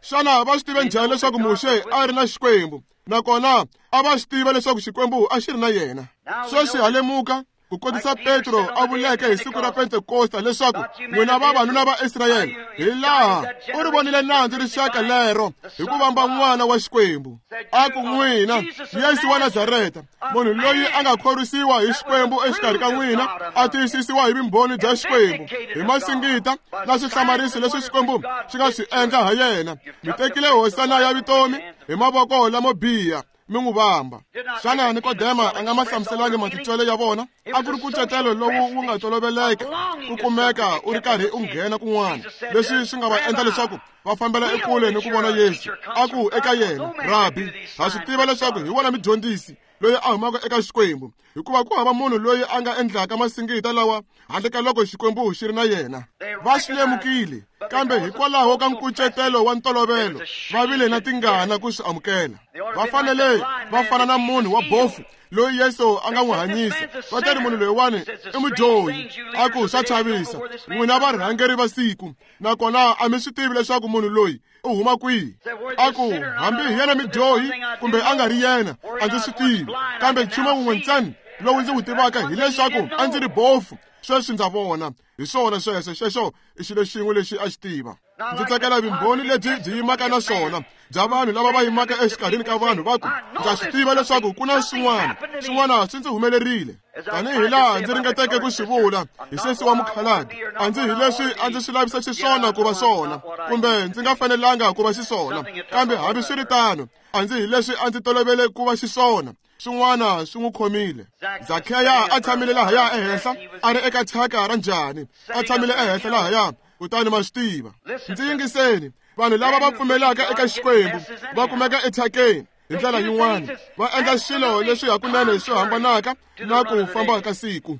Xana va swi tive njhani leswaku Muxe a ri na Xikwembu? Nakona a va swi tiva leswaku Xikwembu a xi ri na yena. Sweswi ha lemuka ku kotisa Petro a vuleke hi siku ra Pentekosta leswaku n'wina vavanuna va Israyele, hi laha u ri vonile nandzu rixaka lero hi ku vamba n'wana wa Xikwembu. A ku n'wina Yesu wa Nazareta, munhu loyi a nga khorwisiwa hi Xikwembu exikarhi ka n'wina, a tiyisisiwa hi vumbhoni bya Xikwembu, hi masingita na swihlamariso leswi Xikwembu xi nga swi endla ha yena. Mi tekile hosana ya vutomi hi mavoko lamo biha, mi n'wi vamba. Xana Nikodema a nga ma hlamuselangi matitwelo ya vona? A ku ri nkucetelo lowu wu nga toloveleka ku kumeka u ri karhi u nghena kun'wana, leswi swi nga va endla leswaku va fambela ekule ni ku vona Yesu. A ku eka yena, Rabi, ha swi tiva leswaku hi wona mudyondzisi loyi a humaka eka Xikwembu, hikuva ku hava munhu loyi a nga endlaka masingita lawa handle ka loko Xikwembu xi ri na yena. Va swi lemukile, kambe hikwalaho ka nkucetelo wa ntolovelo va vile na tingana ku swi amukela. Va fanele va fana na munhu wa bofu loyi Yesu a nga n'wi hanyisa. Va ta ri munhu loyiwani i mudyohi. A ku swa chavisa, n'wina varhangeri va siku, nakona a mi swi tivi leswaku munhu loyi u huma kwihi. A ku hambi hi yena mudyohi kumbe a nga ri yena, a ndzi swi tivi, kambe nchumu wun'we ntsena lowu ndzi wu tivaka hileswaku a ndzi ri bofu, sweswi ndza vona. Hi swona sweswo, xexo i xilo xin'we lexi a xi tiva. Ndzi tsakela vumbhoni lebyi byi yimaka na swona bya vanhu lava va yimaka exikarhini ka vanhu va ku, ndza swi tiva leswaku ku na swin'wana, swin'wana swi ndzi humelerile. Tanihi laha ndzi ringeteke ku swi vula hi sesi wa mukhalabye, a ndzi hi leswi a ndzi swi lavisa xiswona ku va swona, kumbe ndzi nga fanelanga ku va xiswona, kambe hambiswiritano a ndzi hi leswi a ndzi tolovele ku va xiswona. Swin'wana swi n'wi khomile. Zakheya a tshamile lahaya ehenhla, a ri eka thyaka ra njhani, a tshamile ehenhla lahaya. Kutani ma swi tiva. Ndzi yingiseni, vanhu lava va pfumelaka eka Xikwembu va kumeka ethyakeni hi ndlela yin'wana, va endla swilo leswi hakunene swi hambanaka na ku famba ka siku.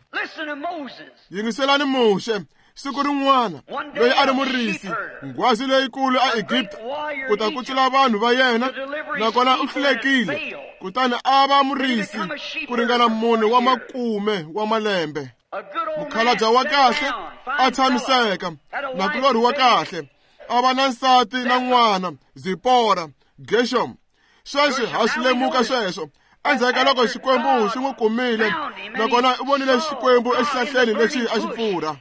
Yingiselani Muxe, siku rin'wana loyi a ri murisi, nghwazi leyikulu a Egipta, ku ta kutsula vanhu va yena, nakona u hlulekile, kutani a va murisi ku ringana mune wa makume wa malembe. Mukhalabye wa kahle a tshamiseka, nakulorhi wa kahle, a va na nsati na n'wana, Zipora, Gershom. Sweswi ha swi lemuka sweswo. Endzhaku ka loko Xikwembu xi n'wi kumile, nakona u vonile Xikwembu exihlahleni lexi a xi pfurha.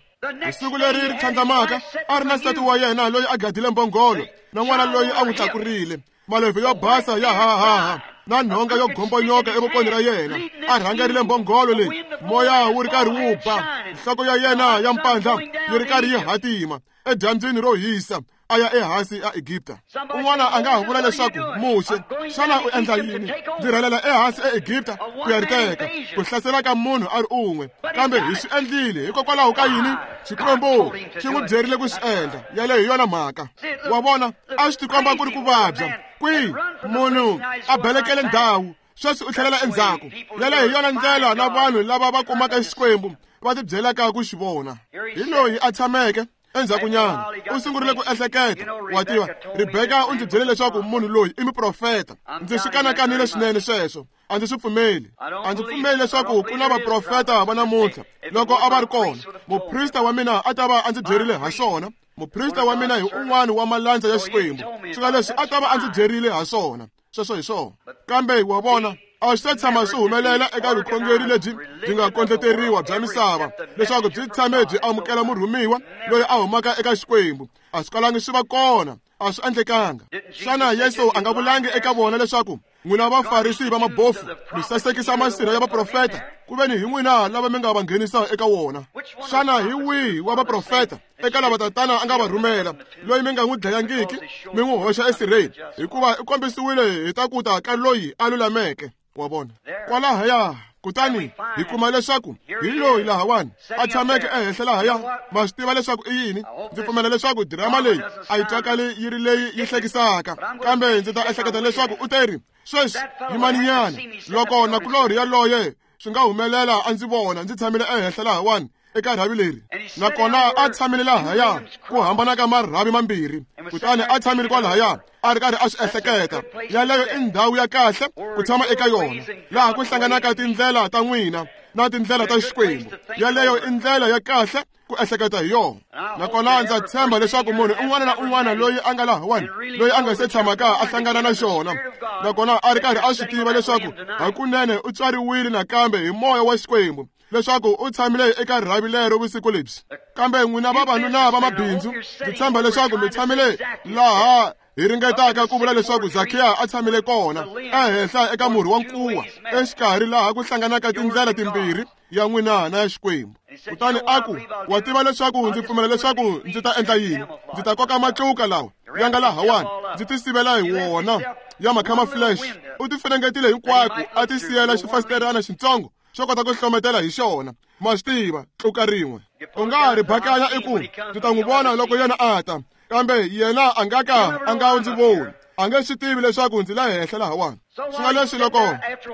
Hi siku leri ri tlhandlamaka, a ri na nsati wa yena loyi a gadile mbhongolo, na n'wana loyi a n'wi tlakurile, malevhu yo basa ya hahaha na nhonga yo gombonyoka evokweni ra yena. A rhangerile mbhongolo leyi, moya wu ri karhi wu ba, nhloko ya yena ya mpandla yi ri karhi yi hatima edyambyini ro hisa, a ya ehansi a Egipta. Un'wana a nga ha vula leswaku, Muxe, xana u endla yini? Ndzi rhelela ehansi eEgipta ku ya ri teka, ku hlasela ka munhu a ri un'we. Kambe hi swi endlile hikokwalaho ka yini? Xikwembu xi n'wi byerile ku swi endla. Yaleyo hi yona mhaka. Wa vona, a swi tikomba ku ri ku vabya kwihi munhu a belekele ndhawu. Sweswi u tlhelela endzhaku. Yaleyo hi yona ndlela na vanhu lava va kumaka Xikwembu va tibyelaka ku xi vona. Hi loyi a tshameke endzhakunyana u sungurile ku ehleketa. Wa tiva, Rebeka u ndzi byele leswaku munhu loyi i muprofeta. Ndzi swi kanakanile swinene sweswo. A ndzi swi pfumeli. A ndzi pfumeli leswaku ku na vaprofeta va namuntlha. Loko a va ri kona, muprista wa mina a ta va a ndzi byerile ha swona. Muprista wa mina hi un'wana wa malandza ya Xikwembu. Swi nga leswi a ta va a ndzi byerile ha swona. Sweswo hi swona. Kambe wa vona, a swi ta tshama swi humelela eka vukhongeri lebyi byi nga kondleteriwa bya misava leswaku byi tshame byi amukela murhumiwa loyi a humaka eka Xikwembu. A swi kalangi swi va kona, a swi endlekanga. Xana Yesu a nga vulangi eka vona leswaku n'wina Vafarisi va mabofu mi sasekisa masirha ya vaprofeta, ku veni hi n'wina lava mi nga va nghenisa eka wona? Xana hi wihi wa vaprofeta eka lava tatana a nga va rhumela loyi mi nga n'wi dlayangiki mi n'wi hoxa esirheni? Hikuva i kombisiwile hi ta ku ta ka loyi a lulameke. Wa vona kwalahaya. Kutani hi kuma leswaku hi loyi lahawani a tshameke ehenhla lahaya. Ma swi tiva leswaku i yini? Ndzi pfumela leswaku dirama leyi a yi twakali yi ri leyi yi hlekisaka, kambe ndzi ta ehleketa leswaku u teri sweswi yimaninyana loko nakulorhi yaloye swi nga humelela a ndzi vona ndzi tshamile ehenhla lahawani eka rhavi leri, nakona a tshamile lahaya ku hambana ka marhavi mambirhi. Kutani a tshamile kwalahaya a ri karhi a swi ehleketa. Yaleyo i ndhawu ya kahle ku tshama eka yona, laha ku hlanganaka tindlela ta n'wina na tindlela ta Xikwembu. Yaleyo i ndlela ya kahle ku ehleketa hi yona. Nakona ndza tshemba leswaku munhu un'wana na un'wana loyi a nga lahawani, loyi a nga se tshamaka a hlangana na xona, nakona a ri karhi a swi tiva leswaku hakunene u tswariwile nakambe hi moya wa Xikwembu, leswaku u tshamile eka rhavi lero vusiku lebyi. Kambe n'wina vavanuna va mabindzu, ndzi tshemba leswaku mi tshamile laha hi ringetaka ku vula leswaku Zakhiya a tshamile kona, ehenhla eka murhi wa nkuwa, exikarhi laha ku hlanganaka tindlela timbirhi ya n'wina na ya Xikwembu. Kutani a ku, wa tiva leswaku ndzi pfumela leswaku ndzi ta endla yini? Ndzi ta koka matluka lawa ya nga lahawani, ndzi ti sivela hi wona ya macamouflage. U ti funengetile hinkwako, a ti siyela xifasiterana xitsongo xo kota ku hlometela hi xona. Ma swi tiva, tluka rin'we u nga ri bakanya i ku ndzi ta n'wi vona loko yena a ta, kambe yena a nga ka a nga ndzi voni. A nge swi tivi leswaku ndzi la henhla lahawani. Swi nga leswi loko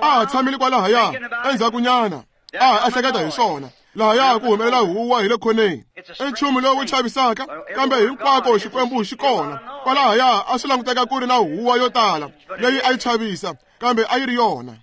a ha tshamile kwalahaya endzhakunyana a ha ehleketa hi swona, lahaya ku humelela huwa hi le khoneni. I nchumu lowu chavisaka, kambe hinkwako Xikwembu xi kona. Kwalahaya a swi languteka ku ri na huwa yo tala leyi a yi chavisa, kambe a yi ri yona.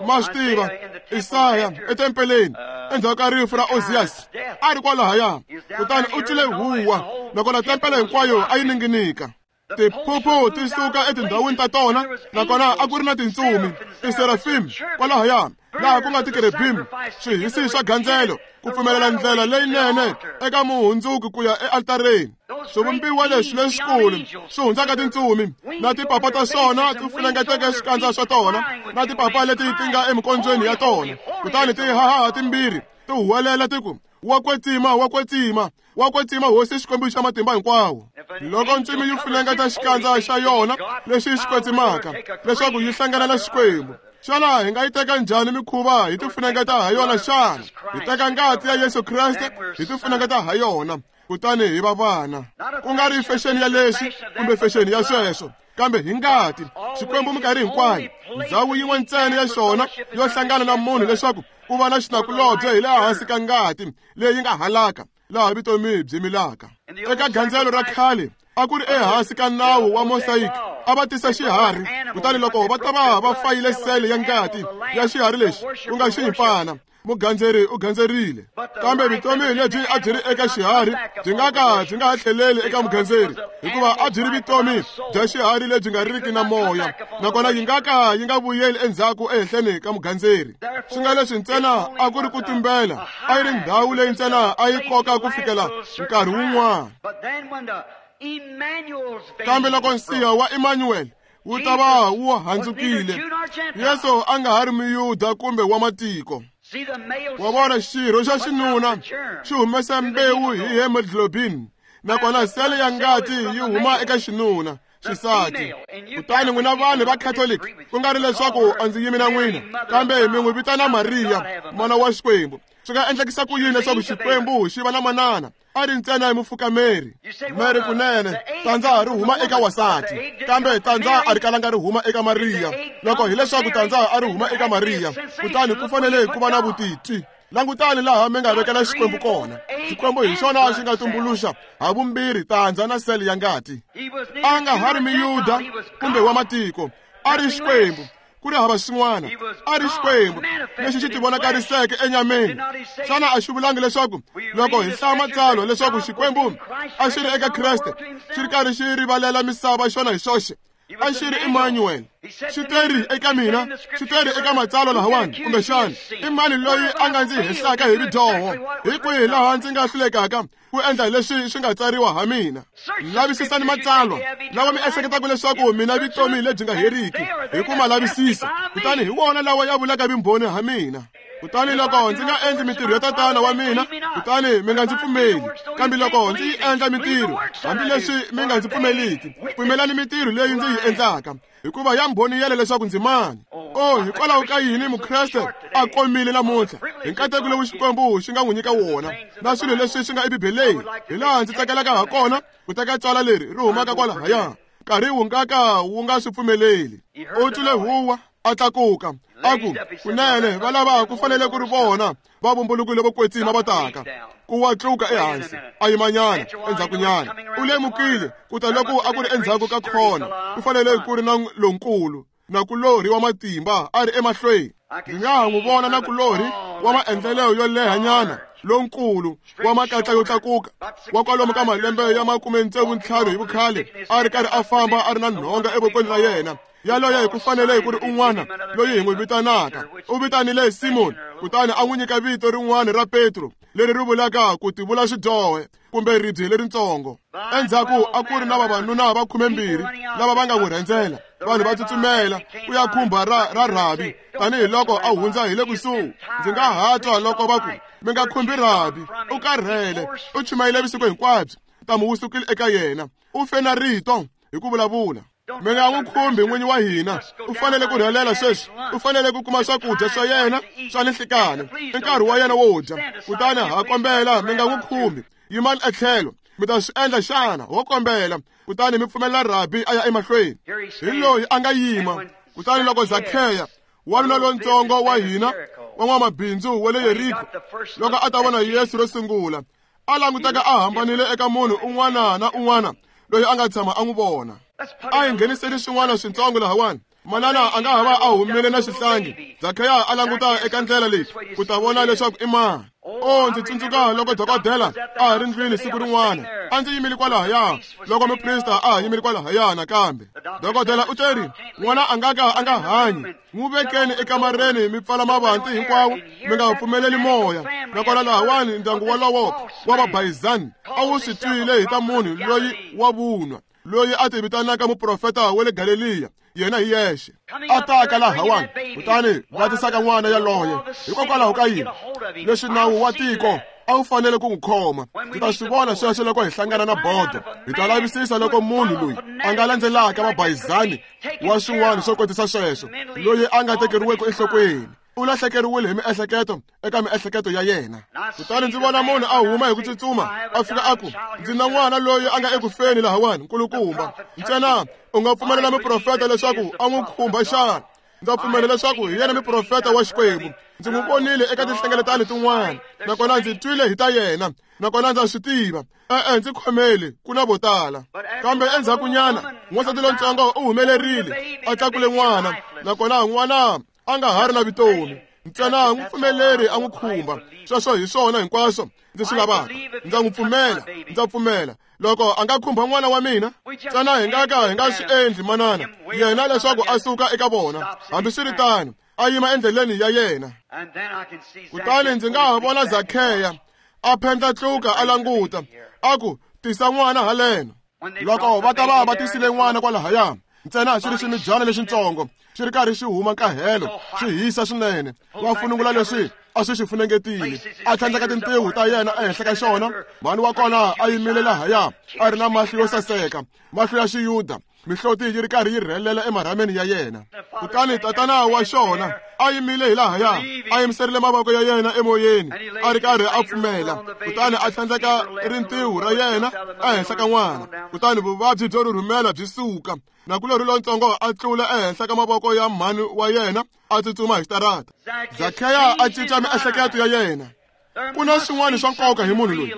Ma swi tiva, Isaya etempeleni endzhaku ka rifu ra Oziyasi a ri kwalahaya, kutani u twile huwa, nakona tempele hinkwayo a yi ninginika. Tiphuphu ti suka etindhawini ta tona, nakona a ku ri na tintsumi, tiserafim kwalahaya, laha ku nga tikerubim, swihisi swa gandzelo, ku pfumelela ndlela leyinene eka muhundzuki ku ya ealtareni. Swivumbiwa leswi leswikulu swi hundzaka tintsumi, na tipapa ta swona ti funengeteke swikandza swa tona, na tipapa leti ti nga emikondzweni ya tona. Kutani ti hahaha timbirhi ti huwelela ti ku, wa kwetsima, wa kwetsima, wa kwetsima Hosi Xikwembu xa matimba hinkwawo. Loko ntsumi yi funengeta xikandza xa yona lexi xi kwetsimaka leswaku yi hlangana na Xikwembu, xana hi nga yi teka njhani mikhuva hi ti funengeta ha yona xana? Hi teka ngati ya Yesu Kreste hi ti funengeta ha yona, kutani hi va vana. Ku nga ri fexeni ya leswi kumbe fexeni ya sweswo, kambe hi ngati. Xikwembu minkarhi hinkwayo ndhawu yin'we ntsena ya xona yo hlangana na munhu leswaku ku va na xinakulobye hi le hansi ka ngati leyi nga halaka, laha vutomi byi milaka. Eka gandzelo ra khale a ku ri ehansi ka nawu wa mosaic, a va tisa xiharhi, kutani loko va ta va va fayile sele ya ngati ya xiharhi lexi ku nga xiyimpfana, mugandzeri u gandzerile. Kambe vutomi lebyi a byi ri eka xiharhi byi nga ka byi nga ha tlheleli eka mugandzeri, hikuva a byi ri vutomi bya xiharhi lebyi nga riki na moya, nakona yi nga ka yi nga vuyeli endzhaku ehenhleni ka mugandzeri. Swi nga leswi ntsena a ku ri ku tumbela, a yi ri ndhawu leyi ntsena a yi koka ku fikela nkarhi wun'wana. Kambe loko nsiha wa Emmanuel wu ta va wu handzukile, Yesu a nga ha ri muyuda kumbe wa matiko. Wa vona, xirho xa xinuna xi humesa mbewu hi hemoglobin, nakona sele ya ngati yi huma eka xinuna xisati. Kutani n'wina vanhu va Catholic, ku nga ri leswaku a ndzi yimi na n'wina, kambe mi n'wi vitana Mariya, mana wa Xikwembu. Swi nga endlekisa ku yini leswaku Xikwembu xi va na manana a ri ntsena hi mufukameri Mary? Kunene tandza ri huma eka wasati, kambe tandza a ri kalanga ri huma eka Mariya. Loko hileswaku tandza a ri huma eka Mariya, kutani ku fanele ku va na vutitwi. Langutani laha mi nga vekela Xikwembu kona. Xikwembu hi xona xi nga tumbuluxa ha vumbirhi tandza na sele ya ngati. A nga ha ri miyuda kumbe wa matiko, a ri Xikwembu. Ku ri hava xin'wana, a ri Xikwembu lexi xi tivonakariseke enyameni. Xana a xi vulangi leswaku loko hi hlaya matsalwa leswaku Xikwembu a xi ri eka Kreste xi ri karhi xi rivalela misava xona hi xoxe? A xi ri Emmanuel. Xi teri eka mina, xi teri eka matsalwa lahawani, kumbexana i mani loyi a nga ndzi hehlaka hi ridyoho? Hi kwihi laha ndzi nga hlulekaka ku endla leswi swi nga tsariwa ha mina? Lavisisani matsalwa lawa mi ehleketaka leswaku mina vutomi lebyi nga heriki hi ku ma lavisisa, kutani hi wona lawa ya vulaka vumbhoni ha mina. Kutani loko ndzi nga endli mintirho ya tatana wa mina, kutani mi nga ndzi pfumeli. Kambe loko ndzi yi endla mintirho, hambileswi mi nga ndzi pfumeliki, pfumelani mintirho leyi ndzi yi endlaka, hikuva ya mbhoniyela leswaku ndzi mani. Oh, hikwalaho ka yini Mukreste a komile namuntlha hi nkateko lowu Xikwembu xi nga n'wi nyika wona na swilo leswi swi nga eBibeleni? Hi laha ndzi tsakelaka ha kona ku teka tswala leri ri humaka kwalahaya, nkarhi wu nga ka wu nga swi pfumeleli. U twile huwa, a tlakuka, a ku, kunene va lava ku fanele ku ri vona va vumbulukile vo kwetsima va taka. Ku wa tluka ehansi, a yimanyana endzhakunyana. U lemukile ku ta loko a ku ri endzhaku ka khona, ku fanele ku ri na lonkulu nakulorhi wa matimba a ri emahlweni. Ndzi nga ha n'wi vona nakulorhi wa maendlelo yo lehanyana lonkulu wa makatla yo tlakuka wa kwalomu ka malembe ya makume ntsevu ntlhanu hi vukhale, a ri karhi a famba a ri na nhonga evokweni ra yena. Yaloye hi ku fanele ku ri un'wana loyi hi n'wi vitanaka. U vitanile Simoni, kutani a n'wi nyika vito rin'wana ra Petro, leri ri vulaka ku tivula xidyohe kumbe ribye leritsongo. Endzhaku a ku ri na vavanuna va khumembirhi lava va nga n'wi rhendzela. Vanhu va tsutsumela ku ya khumba ra ra Rabi tanihiloko a hundza hi le kusuhi. Ndzi nga ha twa loko va ku, mi nga khumbi Rabi, u karhele, u chumayile vusiku hinkwabyo, ntamu wu sukile eka yena, u fe na rito hi ku vulavula. Mi nga n'wi khumbi n'winyi wa hina, u fanele ku rhelela sweswi, u fanele ku kuma swakudya swa yena swa ninhlikani, i nkarhi wa yena wo dya. Kutani ha kombela mi nga n'wi khumbi, yimani etlhelo. Mi ta swi endla xana? Ho kombela. Kutani mi pfumelela Rabi a ya emahlweni. Hi loyi a nga yima. Kutani loko Zakheya, wanuna lontsongo wa hina wa n'wamabindzu wa le Yeriko, loko a ta vona Yesu ro sungula, a languteka a hambanile eka munhu un'wana na un'wana loyi a nga tshama a n'wi vona. A hi ngheniseli swin'wana swintsongo lahawani. Manana a nga ha va a humile na xihlangi. Zakheya a languta eka ndlela leyi ku ta vona leswaku i mani. Oh, ndzi tsundzuka loko dokodela a ha ri ndlwini siku rin'wana. A ndzi yimile kwalahaya loko muprista a ha yimile kwalahaya nakambe. Dokodela u teri, n'wana a nga ka a nga hanyi. N'wi vekeni ekamareni mi pfala mavanti hinkwawo, mi nga pfumeleli moya. Nakona lahawani ndyangu wolowo wa vabayizani a wu swi twile hi ta munhu loyi wa vunwa, loyi a ti vitanaka muprofeta wa le Galeliya, yena hi yexe a taka lahawani. Kutani va tisaka n'wana yaloye. Hikokwalaho ka yini? Leswi nawu wa tiko a wu fanele ku n'wi khoma. Ndzi ta swi vona sweswo loko hi hlangana na bodo. Hi ta lavisisa loko munhu loyi a nga landzelaka vabayizani wa swin'wana swo kotisa sweswo, loyi a nga tekeriweki enhlokweni, u lahlekeriwile hi miehleketo eka miehleketo ya yena. Kutani ndzi vona munhu a huma hi ku tsutsuma, a fika a ku, ndzi na n'wana loyi a nga ekufeni lahawani, nkulukumba. Ntsena u nga pfumelela muprofeta leswaku a n'wi khumba xana? Ndza pfumela leswaku hi yena muprofeta wa Xikwembu. Ndzi n'wi vonile eka tinhlengeletano tin'wana, nakona ndzi twile hi ta yena, nakona ndza swi tiva. E-e, ndzi khomeli, ku na vo tala. Kambe endzhakunyana n'wansati lontsongo u humelerile, a tlakule n'wana, nakona n'wana a nga ha ri na vutomi. Ntsena n'wi pfumeleri a n'wi khumba. Sweswo hi swona hinkwaswo ndzi swi lavaka. Ndza n'wi pfumela, ndza pfumela. Loko a nga khumba n'wana wa mina, ntsena hi nga ka hi nga swi endli manana yena leswaku a suka eka vona. Hambiswiritano, a yima endleleni ya yena. Kutani ndzi nga ha vona Zakheya a phendla tluka a languta, a ku, tisa n'wana haleno. Loko va ta va va tisile n'wana kwalahaya, ntsena xi ri ximidyana lexintsongo xi ri karhi xi huma nkahelo, xi hisa swinene. Va funungula leswi a swi xi funengetile, a tlhandleka tintiho ta yena ehenhla ka xona. Mhani wa kona a yimile lahaya, a ri na mahlo yo saseka, mahlo ya xiyuda Mihloti yi ri karhi yi rhelela emarhameni ya yena. Kutani tatana wa xona a yimile hi lahaya, a yimiserile mavoko ya yena emoyeni, a ri karhi a pfumela. Kutani a tlhandleka rintiho ra yena ehenhla ka n'wana. Kutani vuvabyi byo rhurhumela byi suka. Nakulorhi lontsongo a tlula ehenhla ka mavoko ya mhani wa yena, a tsutsuma hi xitarata. Zakheya a cinca miehleketo ya yena. Ku na swin'wana swa nkoka hi munhu loyi,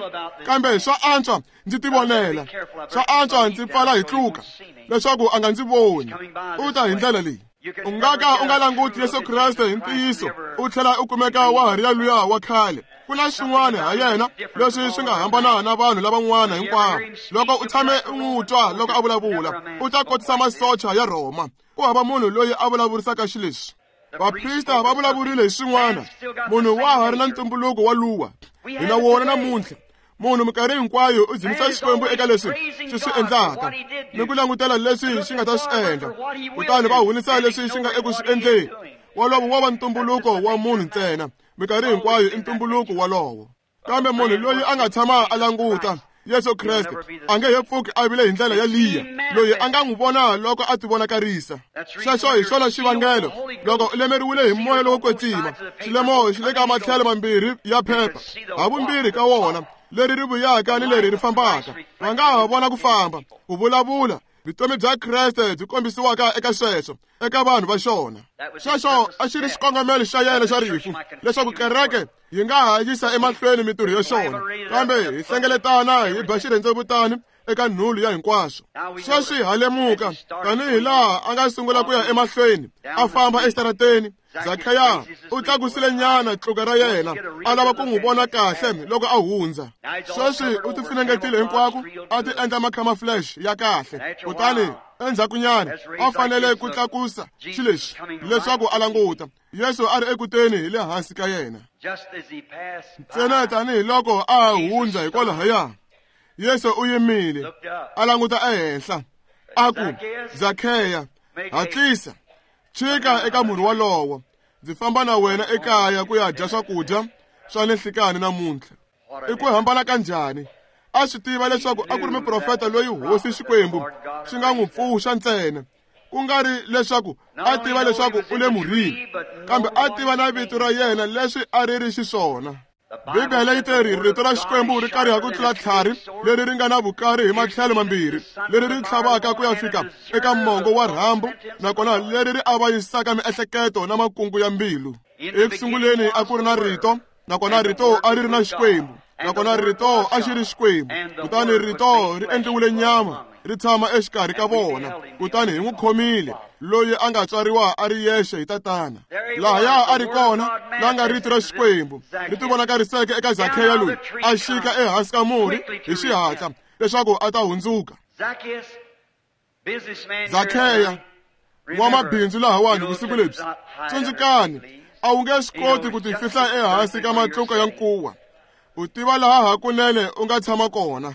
kambe swa antswa ndzi tivonela, swa antswa ndzi pfala hi tluka leswaku a nga ndzi voni. U ta hi ndlela leyi. U nga ka u nga languti Yesu Kreste hi ntiyiso u tlhela u kumeka wa ha ri ya luya wa khale. Ku na swin'wana ha yena leswi swi nga hambana na vanhu lavan'wana hinkwavo. Loko u tshame u n'wi twa loko a vulavula, u ta kotisa masocha ya Rhoma. Ku hava munhu loyi a vulavurisaka xileswi. Vaprista va vulavurile hi swin'wana. Munhu wa ha ri na ntumbuluko wa luwa. Hi na wona namuntlha. Munhu minkarhi hinkwayo u dzunisa Xikwembu eka leswi xi swi endlaka ni ku langutela leswi xi nga ta swi endla, kutani va hunisa leswi xi nga eku swi endleni. Wolowo wa va ntumbuluko wa munhu ntsena. Minkarhi hinkwayo i ntumbuluko wolowo. Kambe munhu loyi a nga tshama a languta Yesu Kreste a nge he pfuki a vile hi ndlela ya liya loyi a nga n'wi vona loko a tivonakarisa. Xexo hi xona xivangelo loko u lemeriwile hi moya lowo kwetsima, xilemo xi le ka matlhelo mambirhi ya phepha, havumbirhi ka wona, leri ri vuyaka ni leri ri fambaka. Va nga ha vona ku famba, ku vulavula, vutomi bya Kreste byi kombisiwaka eka sweswo eka vanhu va xona. Xexo a xi ri xikongomelo xa yena xa rifu, leswaku kereke yi nga ha yisa emahlweni mintirho ya xona, kambe hi hlengeletana hi ba xirhendzevutani eka nhulu ya hinkwaswo. Sweswi ha lemuka tanihi laha a nga sungula ku ya emahlweni a famba exitarateni, Zakheya u tlakusile nyana tluka ra yena a lava ku n'wi vona kahle loko a hundza. Sweswi u tifunengetile hinkwako, a ti endla macamouflage ya kahle. Kutani endzhakunyana a fanele ku tlakusa xilexi leswaku a languta. Yesu a ri ekuteni hi le hansi ka yena. Ntsena tanihiloko a hundza hikwalahaya, Yesu u yimile a languta ehenhla, a ku, Zakheya, hatlisa, chika eka murhi wolowo. Ndzi famba na wena ekaya ku ya dya swakudya swa le nhlikani namuntlha. I ku hambana ka njhani? A swi tiva leswaku a ku ri muprofeta loyi Hosi Xikwembu xi nga n'wi pfuxa ntsena, ku nga ri leswaku a tiva leswaku u le murhini, kambe a tiva na vito ra yena leswi a ri ri xiswona. Bibele yi te ri rito ra Xikwembu ri kariha ku tlula tlhari leri ri nga na vukari hi matlhelo mambirhi, leri ri tlhavaka ku ya fika eka mongo wa rhambu, nakona leri ri avanyisaka miehleketo na makungu ya mbilu. Eku sunguleni a ku ri na rito, nakona rito a ri ri na Xikwembu, nakona rito a xi ri Xikwembu. Kutani rito ri endliwile nyama, ri tshama exikarhi ka vona, kutani hi n'wi khomile, loyi a nga tswariwa a ri yexe hi tatana. Lahaya a ri kona la nga rito ra Xikwembu ri tivonakariseke eka Zakheya loyi a xika ehansi ka murhi hi xihatla leswaku a ta hundzuka. Zakheya n'wamabindzu lahawani vusiku lebyi, tsundzukani, a wu nge swi koti ku tifihla ehansi ka matluka ya nkuwa. U tiva laha hakunene u nga tshama kona.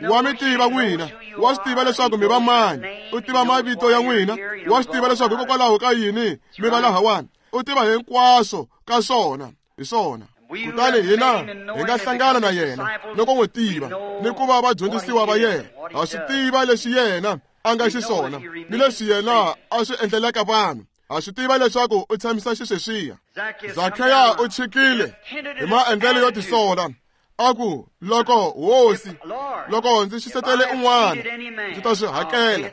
Wa mi tiva n'wina, wa swi tiva leswaku mi va mani, u tiva mavito ya n'wina, wa swi tiva leswaku hikokwalaho ka yini mi va lahawani, u tiva hinkwaswo ka swona, hi swona. Kutani hina hi nga hlangana na yena loko n'wi tiva ni ku va vadyondzisiwa va yena. Ha swi tiva leswi yena a nga xiswona ni leswi yena a swi endlelaka vanhu. Ha swi tiva leswaku u tshamisa xisweswiya. Zakheya u chikile hi maendlelo yo tisola, a ku, loko Hosi, loko ndzi xisetele un'wana, ndzi ta swi hakela.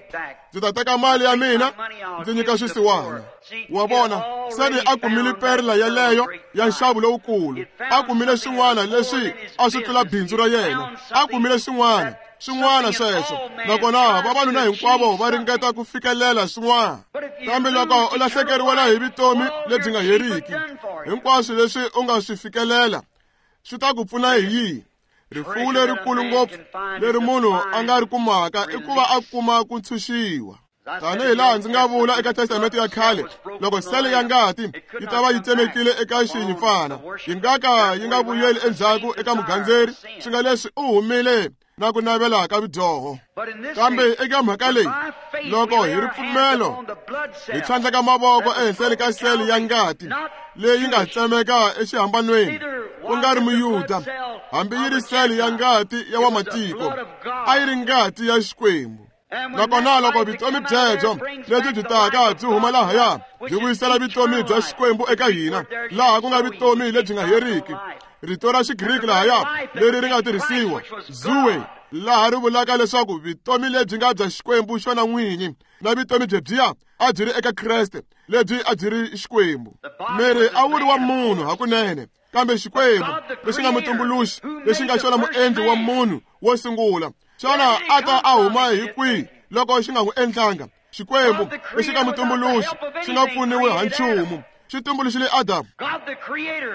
Ndzi ta teka mali ya mina ndzi nyika swisiwana. Wa vona, se ni a kumile perla yeleyo ya nxavo lowukulu. A kumile swin'wana leswi a swi tlula bindzu ra yena. A kumile swin'wana, swin'wana sweswo. Nakona vavanuna hinkwavo va ringeta ku fikelela swin'wana. Kambe loko u lahlekeriwela hi vutomi lebyi nga heriki, hinkwaswo leswi u nga swi fikelela swi ta ku pfuna hi yihi? Rifuwo lerikulu ngopfu leri munhu a nga ri kumaka i ku va a kuma ku ntshunxiwa. Tanihi laha ndzi nga vula eka Testamente ya khale, loko sele ya ngati yi ta va yi tsemekile eka xinyimpfana, yi nga ka yi nga vuyeli endzhaku eka mugandzeri, swi nga leswi u humile na ku navela ka vudyoho. Kambe eka mhaka leyi, loko hi ripfumelo hi tlhandleka mavoko ehenhleni ka sele ya ngati leyi nga tsemeka exihambanweni, ku nga ri Muyuda, hambi yi ri sele ya ngati ya wamatiko, a yi ri ngati ya Xikwembu. Nakona loko vutomi byebyo lebyi byi taka byi huma lahaya byi vuyisela vutomi bya Xikwembu eka hina, laha ku nga vutomi lebyi nga heriki. Rito ra Xigriki lahaya leri ri nga tirhisiwa zoe, laha ri vulaka leswaku vutomi lebyi nga bya Xikwembu xona n'winyi, na vutomi byebyiya a byi ri eka Kreste, lebyi a byi ri Xikwembu. Miri a wu ri wa munhu hakunene, kambe Xikwembu lexi nga mutumbuluxi, lexi nga xona muendli wa munhu wo sungula, xana a ta a huma hi kwihi loko xi nga n'wi endlanga? Xikwembu lexi nga mutumbuluxi xi nga pfuniwi ha nchumu, xi tumbuluxile Adamu.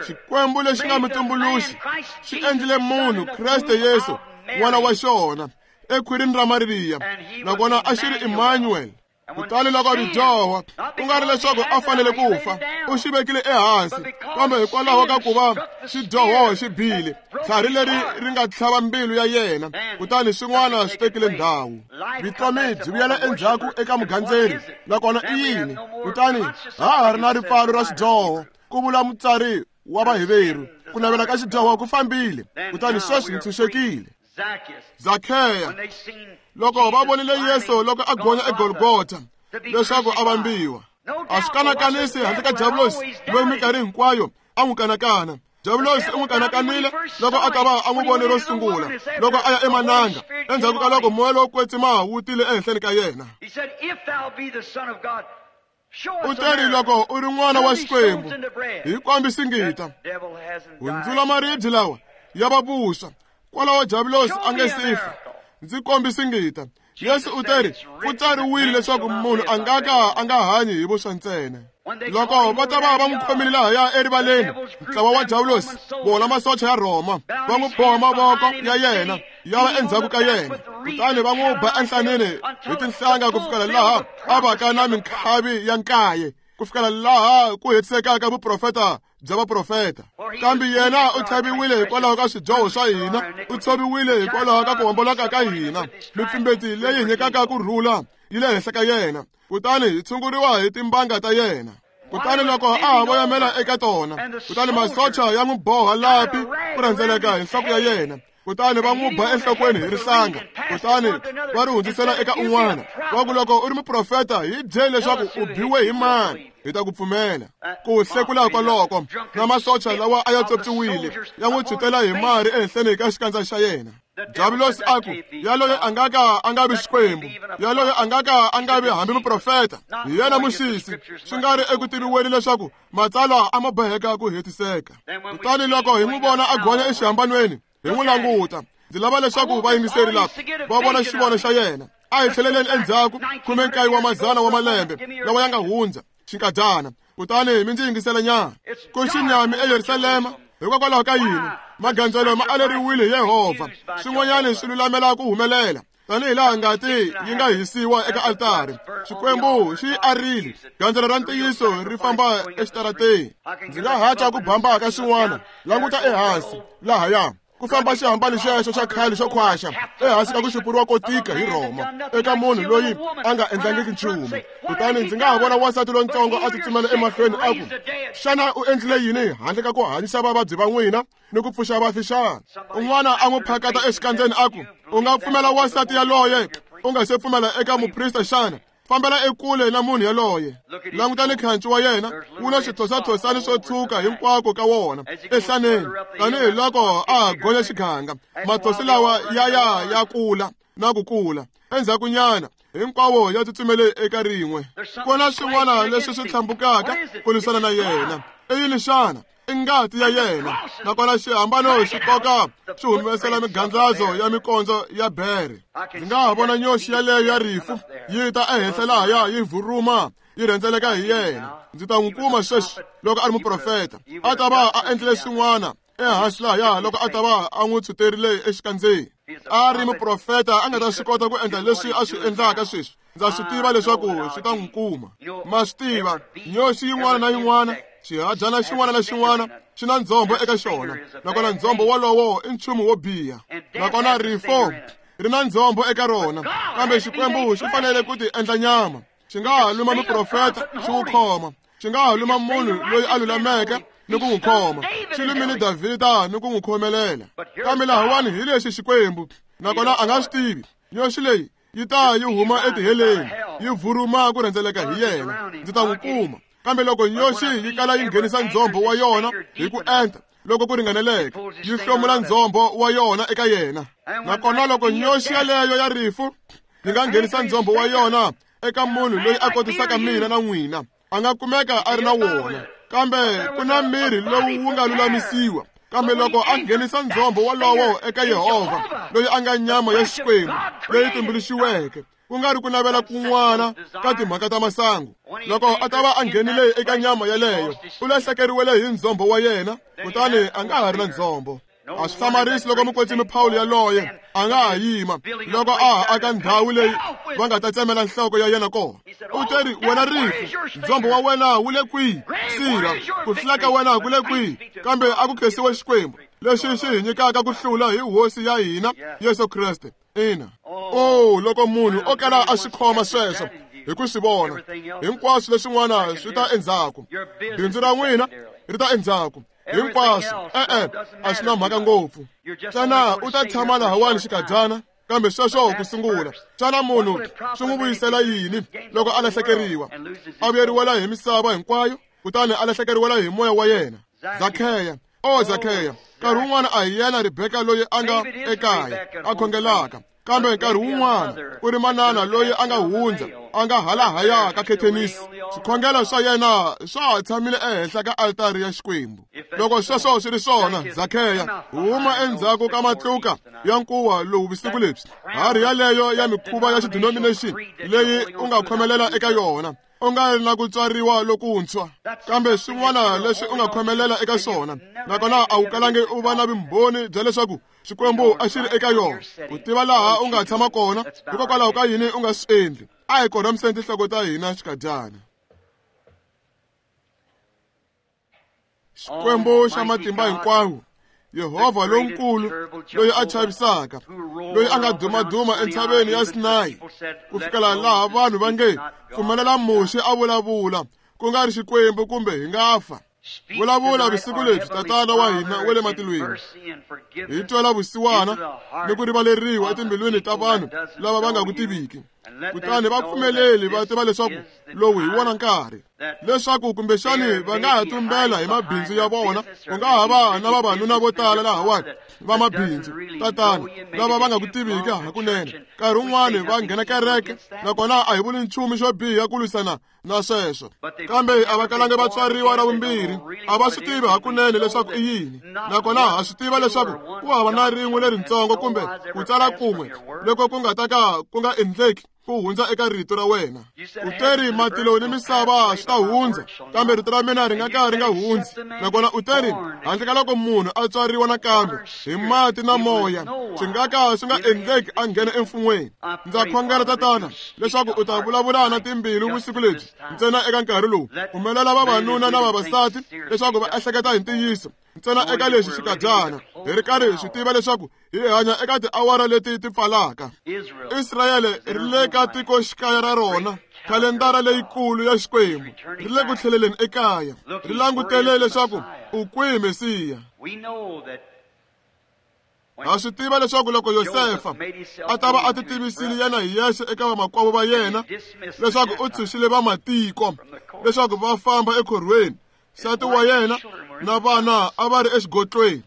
Xikwembu lexi nga mutumbuluxi xi endlile munhu Kreste Yesu, n'wana wa xona, ekhwirini ra Mariya, nakona a xi ri Emmanuel. Kutani loko ridyoho, ku nga ri leswaku a fanele ku fa, u xi vekile ehansi, kambe hikwalaho ka ku va xidyoho xi bile, tlhari leri ri nga tlhava mbilu ya yena, kutani swin'wana swi tekile ndhawu. Vutomi byi vuyela endzhaku eka mugandzeri, nakona i yini? Kutani ha ha ri na ripfalo ra xidyoho, ku vula mutsari wa Vaheveru. Ku navela ka xidyoho ku fambile, kutani sweswi hi ntshunxekile. Zakheya, loko va vonile Yesu loko a gonya eGolgotha leswaku a vambiwa, a swi kanakanisi handle ka Diabulosi loyi minkarhi hinkwayo a n'wi kanakana. Diabulosi u n'wi kanakanile loko a ta va a n'wi vone ro sungula loko a ya emananga, endzhaku ka loko moya lowo kwetsima wu tile ehenhleni ka yena. U teri loko u ri n'wana wa Xikwembu, hi kombi singita, hundzula maribye lawa ya va vuswa. Kwalaho Diabulosi a nge si fa, ndzi kombi singita. Yesu u teri ku tsariwile leswaku munhu a nga ka a nga hanyi hi vuswa ntsena. Loko va ta va va n'wi khomile lahaya erivaleni, ntlawa wa Diabulosi, vona masocha ya Rhoma, va n'wi boha mavoko ya yena ya va endzhaku ka yena, kutani va n'wi ba enhlaneni hi tinhlanga ku fikela laha a vaka na minkhavi ya nkaye, ku fikela laha ku hetisekaka vuprofeta bya vaprofeta. Kambe yena u tlhaviwile hikwalaho ka swidyoho swa hina, u tshoviwile hikwalaho ka ku homboloka ka hina. Mipfimbeti leyi nyikaka ku rhula yi le henhla ka yena, kutani hi tshunguriwa hi timbanga ta yena. Kutani loko a ha voyamela eka tona, kutani masocha ya n'wi boha lapi ku rhendzeleka hi nhloko ya yena, kutani va n'wi ba enhlokweni hi rihlanga, kutani va ri hundzisela eka un'wana. Va ku loko u ri muprofeta, hi byele leswaku u biwe hi mani, hi ta ku pfumela. Ku hlekula kwaloko na masocha lawa a ya tsopsiwile ya n'wi tshutela hi mari ehenhleni ka xikandza xa yena. Diabulosi a ku, yaloye a nga ka a nga vi Xikwembu, yaloye a nga ka a nga vi hambi muprofeta, hi yena muxisi, swi nga ri eku tiviweni leswaku matsalwa a ma boheka ku hetiseka. Kutani loko hi n'wi vona a gonya exihambanweni, hi n'wi languta. Ndzi lava leswaku vayingiseri lava va vona xivono xa yena. A hi tlheleleni endzhaku khume nkaye wa mazana wa malembe lawa ya nga hundza xinkadyana, kutani mi ndzi yingisela nyana. Ku xinyami eYerusalema hikokwalaho ka yini? Magandzelo ma aleriwile hi Yehovha, swin'wanyana swi lulamela ku humelela tanihi laha ngati yi nga hisiwa eka altari. Xikwembu xi arile gandzelo ra ntiyiso ri famba exitarateni. Ndzi nga haca ku bamba ka xin'wana, languta ehansi lahaya ku famba xihambano xexo xa khale xo khwaxa ehansi ka ku xupuriwa ko tika hi Rhoma eka munhu loyi a nga endlangiki nchumu. Kutani ndzi nga ha vona wansati lontsongo a tsutsumela emahlweni a ku, xana u endlile yini handle ka ku hanyisa vavabyi va n'wina ni ku pfuxa vafi xana? Un'wana a n'wi phakata exikandzeni a ku, u nga pfumela wansati yaloye u nga se pfumela eka muprista xana? Fambela ekule na munhu yaloye. Langutani khanci wa yena, wu na swithosathosani swo tshuka hinkwako ka wona ehlaneni, tanihi loko a gonya xiganga. Mathosi lawa ya ya ya kula na ku kula. Endzhakunyana hinkwawo ya tsutsumele eka rin'we. Ku na swin'wana leswi swi tlhambukaka ku lwisana na yena. I yini xana? I ngati ya yena. Nakona xihambano xi koka xi humesela migandlazo ya mikondzo ya bere. Ndzi nga ha vona nyoxi yaleyo ya rifu yi ta ehenhla lahaya yi vuruma yi rhendzeleka hi yena. Ndzi ta n'wi kuma sweswi loko a ri muprofeta, a ta va a endlile swin'wana ehansi lahaya loko a ta va a n'wi tshuterile exikandzeni. A ri muprofeta a nga ta swi kota ku endla leswi a swi endlaka sweswi. Ndza swi tiva leswaku swi ta n'wi kuma. Ma swi tiva, nyoxi yin'wana na yin'wana, xihadyana xin'wana na xin'wana xi na ndzhombo eka xona, nakona ndzhombo wolowo i nchumu wo biha. Nakona rifo ri na ndzhombo eka rona, kambe Xikwembu xi fanele ku ti endla nyama. Xi nga ha luma muprofeta xi wu khoma, xi nga ha luma munhu loyi a lulameke ni ku n'wi khoma, xi lumile Davhida ni ku n'wi khomelela. Kambe lahawani hi lexi Xikwembu, nakona a nga swi tivi. Nyoxi leyi Yi ta yi huma etiheleni, yi vuruma ku rhendzeleka hi yena, ndzi ta n'wi kuma. Kambe loko nyoxi yi kala yi nghenisa ndzhombo wa yona hi ku enta, loko ku ringaneleke, yi hlomula ndzhombo wa yona eka yena. Nakona loko nyoxi yaleyo ya rifu yi nga nghenisa ndzhombo wa yona eka munhu loyi a kotisaka mina na n'wina, a nga kumeka a ri na wona. Kambe ku na miri lowu wu nga lulamisiwa. Kambe loko a nghenisa ndzhombo wolowo eka Yehovha, loyi a nga nyama ya Xikwembu leyi tumbuluxiweke, ku nga ri ku navela kun'wana ka timhaka ta masangu, loko a ta va a nghenile eka nyama yaleyo, u lahlekeriwele hi ndzhombo wa yena, kutani a nga ha ri na ndzhombo. A swi hlamarisi loko mukwetsimi Pawulo yaloye a nga ha yima loko a ha aka ndhawu leyi va nga ta tsemela nhloko ya yena kona. U teri, wena rifu, ndzhombo wa wena wu le kwihi? Sirha, ku hlula ka wena ku le kwihi? Kambe a ku khensiwe Xikwembu lexi xi hi nyikaka ku hlula hi Hosi ya hina Yesu Kreste. Ina. Oh, loko munhu o kala a swi khoma sweswo hi ku swi vona, hinkwaswo leswin'wana swi ta endzhaku. Bindzu ra n'wina ri ta endzhaku. Hinkwaswo, e-e, a swi na mhaka ngopfu. Xana u ta tshama lahawani xikadyana? Kambe sweswo ku sungula, xana munhu swi n'wi vuyisela yini loko a lahlekeriwa, a vuyeriwela hi misava hinkwayo, kutani a lahlekeriwela hi moya wa yena? Zakheya, o Zakheya, nkarhi wun'wana a hi yena Rebeka loyi a nga ekaya a khongelaka, kambe nkarhi wun'wana ku ri manana loyi a nga hundza a nga halahaya ka khethenisi. Swikhongelo swa yena swa ha tshamile ehenhla ka altari ya Xikwembu. Loko sweswo swi ri swona, Zakheya, huma endzhaku ka matluka ya nkuwa lowu vusiku lebyi, harhi yaleyo ya mikhuva ya xidenomination leyi u nga khomelela eka yona, u nga ri na ku tswariwa lokuntshwa, kambe swin'wana leswi u nga khomelela eka swona, nakona a wu kalangi u va na vumbhoni bya leswaku Xikwembu a xi ri eka yona. U tiva laha u nga tshama kona, hikokwalaho ka yini u nga swi endli? A hi korhamiseni tinhloko ta hina xikadyana. Xikwembu xa matimba hinkwawo, Yehovha lonkulu loyi a chavisaka, loyi a nga dumaduma entshaveni ya Sinayi, ku fikela laha vanhu va nge pfumelela Muxe a vulavula, ku nga ri Xikwembu kumbe hi nga fa. Vulavula vusiku lebyi, Tatana wa hina wa le matilweni, hi twela vusiwana ni ku rivaleriwa etimbilwini ta vanhu lava va nga ku tiviki, kutani va pfumeleli va tiva leswaku lowu hi wona nkarhi, leswaku kumbexani va nga ha tumbela hi mabindzu ya vona. Ku nga ha va na vavanuna vo tala lahawani va mabindzu, Tatana, lava va nga ku tiviki hakunene. Nkarhi wun'wani va nghena kereke, nakona a hi vuli nchumu xo biha ku lwisana na sweswo, kambe a va kalangi va tswariwa ra vumbirhi, a va swi tivi hakunene leswaku i yini. Nakona ha swi tiva leswaku ku hava na rin'we leritsongo kumbe ku tsala kun'we loko ku nga ta ka ku nga endleki ku hundza eka rito ra wena. U teri matilo ni misava swi ta hundza, kambe rito ra mina ri nga ka ri nga hundzi. Nakona u teri handle ka loko munhu a tswariwa nakambe hi mati na moya, swi nga ka swi nga endleki a nghena emfun'weni. Ndza khongela, Tatana, leswaku u ta vulavula na timbilu vusiku lebyi ntsena eka nkarhi lowu. Pfumelela vavanuna na vavasati leswaku va ehleketa hi ntiyiso ntsena eka lexi xikadyana, hi ri karhi hi swi tiva leswaku hi hanya eka tiawara leti ti pfalaka. Israyele ri le ka tikoxikaya ra rona, khalendara leyikulu ya Xikwembu ri le ku tlheleleni ekaya, ri langutele leswaku u kwihi Mesiya. Ha swi tiva leswaku loko Yosefa a ta va a ti tivisile yena hi yexe eka vamakwavo va yena leswaku u tshunxile vamatiko leswaku va famba ekhorhweni, nsati wa yena na vana a va ri exigotlweni.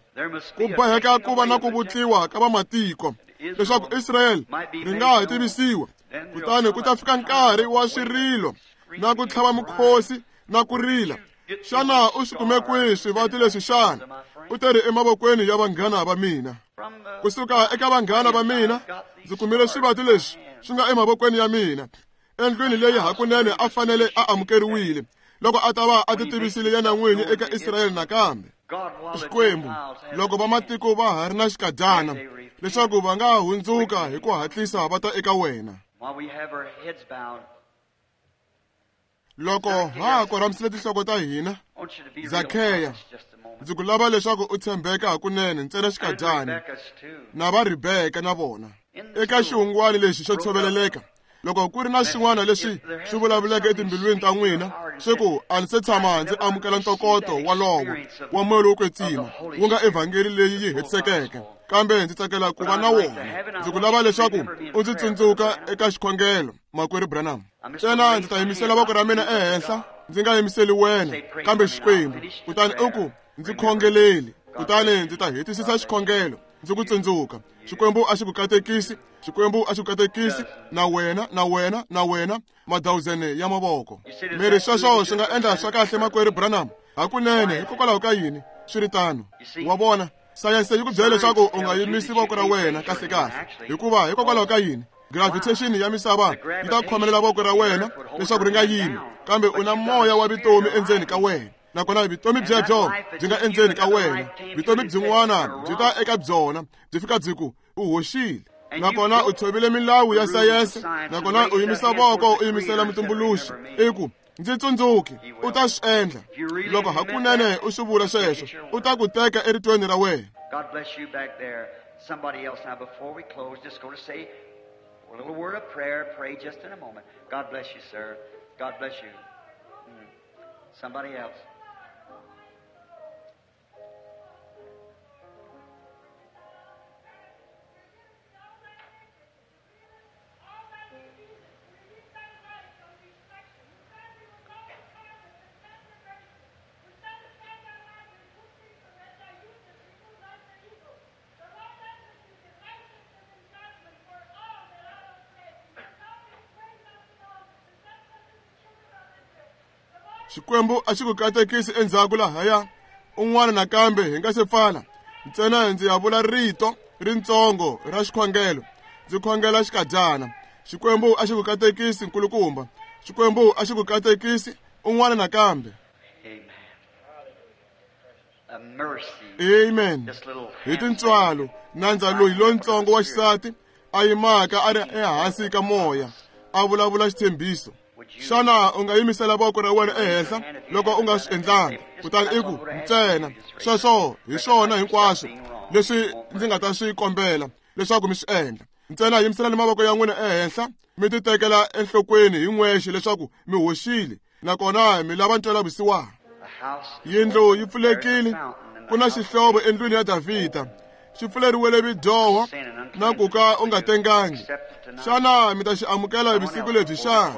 Ku boheka ku va na ku vutliwa ka vamatiko leswaku Israyele ri nga ha tivisiwa, kutani ku ta fika nkarhi wa swirilo na ku tlhava mukhosi na ku rila. Xana u swi kume kwihi swivati leswi xana? U teri emavokweni ya vanghana va mina. Kusuka eka vanghana va mina ndzi kumile swivati leswi swi nga emavokweni ya mina, endlwini leyi hakunene a fanele a amukeriwile loko a ta va a ti tivisile yena n'wini eka Israyele nakambe. Xikwembu, loko vamatiko va ha ri na xikadyana leswaku va nga hundzuka hi ku hatlisa va ta eka wena. Loko ha korhamisile tinhloko ta hina, Zakheya, ndzi ku lava leswaku u tshembeka hakunene ntsena xikadyana, na va Rebeka na vona eka xihungwani lexi xo tshoveleleka. Loko ku ri na xin'wana lexi swi vulavuleke etimbilwini ta n'wina Swi ku a ndzi se tshama ndzi amukela ntokoto walowo wa moya lowo kwetsima wu nga evhangeli leyi yi hetisekeke, kambe ndzi tsakela ku va na wona. Ndzi ku lava leswaku u ndzi tsundzuka eka xikhongelo, makwerhu Branham. Ntsena ndzi ta yimisela voko ra mina ehenhla, ndzi nga yimiseli wena kambe Xikwembu. Kutani u ku ndzi khongeleli, kutani ndzi ta hetisisa xikhongelo ndzi ku tsundzuka. Xikwembu a xi ku katekisi, Xikwembu a xi ku katekisi, na wena, na wena, na wena, madawuzene ya mavoko. Miri sweswo swi nga endla swa kahle, makwerhu Branham? Hakunene, hikokwalaho ka yini swi ri tano? Wa vona, sayense yi ku byela leswaku u nga yimisi voko ra wena kahle-kahle, hikuva hikokwalaho ka yini? Gravitation ya misava yi ta khomelela voko ra wena leswaku ri nga yimi, kambe u na moya wa vutomi endzeni ka wena. Nakona vutomi byebyo byi nga endzeni ka wena, vutomi byin'wana byi ta eka byona byi fika byi ku u hoxile. Nakona u tshovile milawu ya sayense, nakona u yimisa voko u yimisela mutumbuluxi, i ku ndzi tsundzuki, u ta swi endla. Loko hakunene u swi vula sweswo, u ta ku teka eritweni ra wena. God bless you back there. Somebody else now, before we close, just going to say a little word of prayer. Pray just in a moment. God bless you, sir. God bless you. Mm. Somebody else. Xikwembu a xi ku katekisi endzhaku lahaya. Un'wana nakambe hi nga se pfala, ntsena ndzi ya vula rito rintsongo ra xikhongelo, ndzi khongela xikadyana. Xikwembu a xi ku katekisi, nkulukumba. Xikwembu a xi ku katekisi. Un'wana nakambe. Amen. Hi tintswalo, nandza loyi lontsongo wa xisati a yimaka a ri ehansi ka moya, a vulavula xitshembiso. Xana u nga yimisela voko ra wena ehenhla loko u nga swi endlanga? Kutani i ku ntsena sweswo hi swona hinkwaswo leswi ndzi nga ta swi kombela leswaku mi swi endla. Ntsena yimiselani mavoko ya n'wina ehenhla, mi ti tekela enhlokweni hi n'wexe leswaku mi hoxile, nakona mi lava ntwelavusiwana. Yindlu yi pfulekile, ku na xihlovo endlwini ya Davhida, xi pfuleriwele vidyoho na ku ka u nga tengangi. Xana mi ta xi amukela vusiku lebyi xana?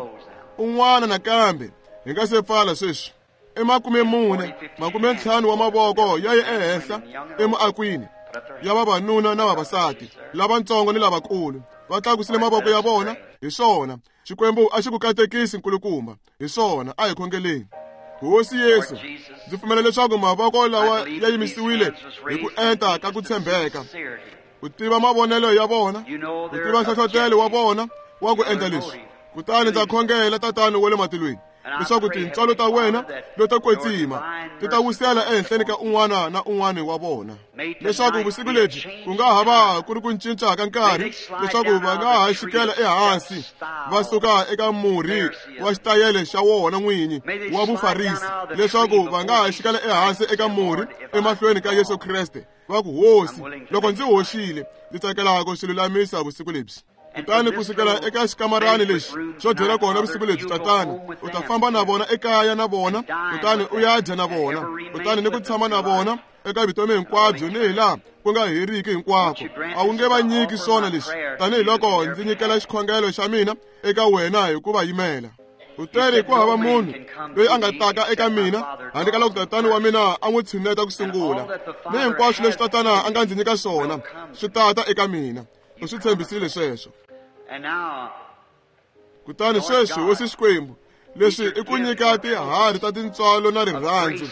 Un'wana nakambe hi nga se pfala sweswi. I makume mune, makume ntlhanu wa mavoko ya ye ehenhla emuakwini ya vavanuna na vavasati, lavatsongo ni lavakulu, va tlakusile mavoko ya vona. Hi swona, Xikwembu a xi ku katekisi, nkulukumba. Hi swona, a hi khongeleni. Hosi Yesu, ndzi pfumela leswaku mavoko lawa ya yimisiwile hi ku enta ka ku tshembeka. U tiva mavonelo ya vona, u tiva nhlohlotelo wa vona wa ku endla leswi. Kutani ndza khongela, Tatana wa le matilweni, leswaku tintswalo ta wena leto kwetsima ti ta wisela ehenhleni ka un'wana na un'wana wa vona, leswaku vusiku lebyi ku nga ha va ku ri ku cinca ka nkarhi, leswaku va nga ha xikela ehansi va suka eka murhi wa xitayele xa wona n'winyi wa Vufarisi, leswaku va nga ha xikela ehansi eka murhi emahlweni ka Yesu Kreste, va ku Hosi, loko ndzi hoxile, ndzi tsakela ku swi lulamisa vusiku lebyi. Kutani kusukela eka xikamarani lexi xo dyela kona vusiku lebyi, Tatana, u ta famba na vona ekaya na vona, kutani u ya dya na vona, kutani ni ku tshama na vona eka vutomi hinkwabyo ni hi laha ku nga heriki hinkwako. A wu nge va nyiki swona leswi, tanihiloko ndzi nyikela xikhongelo xa mina eka wena hi ku va yimela. U teri ku hava munhu loyi a nga taka eka mina handle ka loko Tatana wa mina a n'wi tshineta ku sungula, ni hinkwaswo leswi Tatana a nga ndzi nyika swona swi tata eka mina. U swi tshembisile sweswo. Kutani sweswi, Hosi Xikwembu, leswi i ku nyika tiharhi ta tintswalo na rirhandzu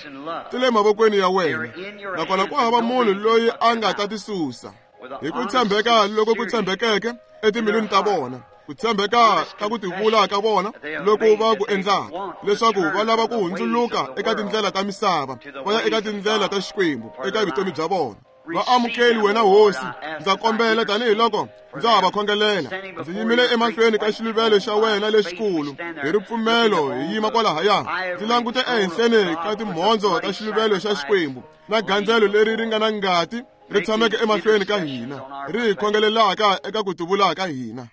ti le mavokweni ya wena, nakona ku hava munhu loyi a nga ta ti susa. Hi ku tshembeka loko ku tshembekeke etimbilwini ta vona, ku tshembeka ka ku tivula ka vona loko va ku endlaka, leswaku va lava ku hundzuluka eka tindlela ta misava va ya eka tindlela ta Xikwembu eka vutomi bya vona. Va amukeli wena Hosi, ndza kombela tanihiloko ndza ha va khongelela. Ndzi yimile emahlweni ka xiluvelo xa wena lexikulu hi ripfumelo, hi yima kwalahaya, ndzi langute ehenhleni ka timhondzo ta xiluvelo xa Xikwembu na gandzelo leri ri nga na ngati ri tshameke emahlweni ka hina, ri hi khongelelaka eka ku tivula ka hina.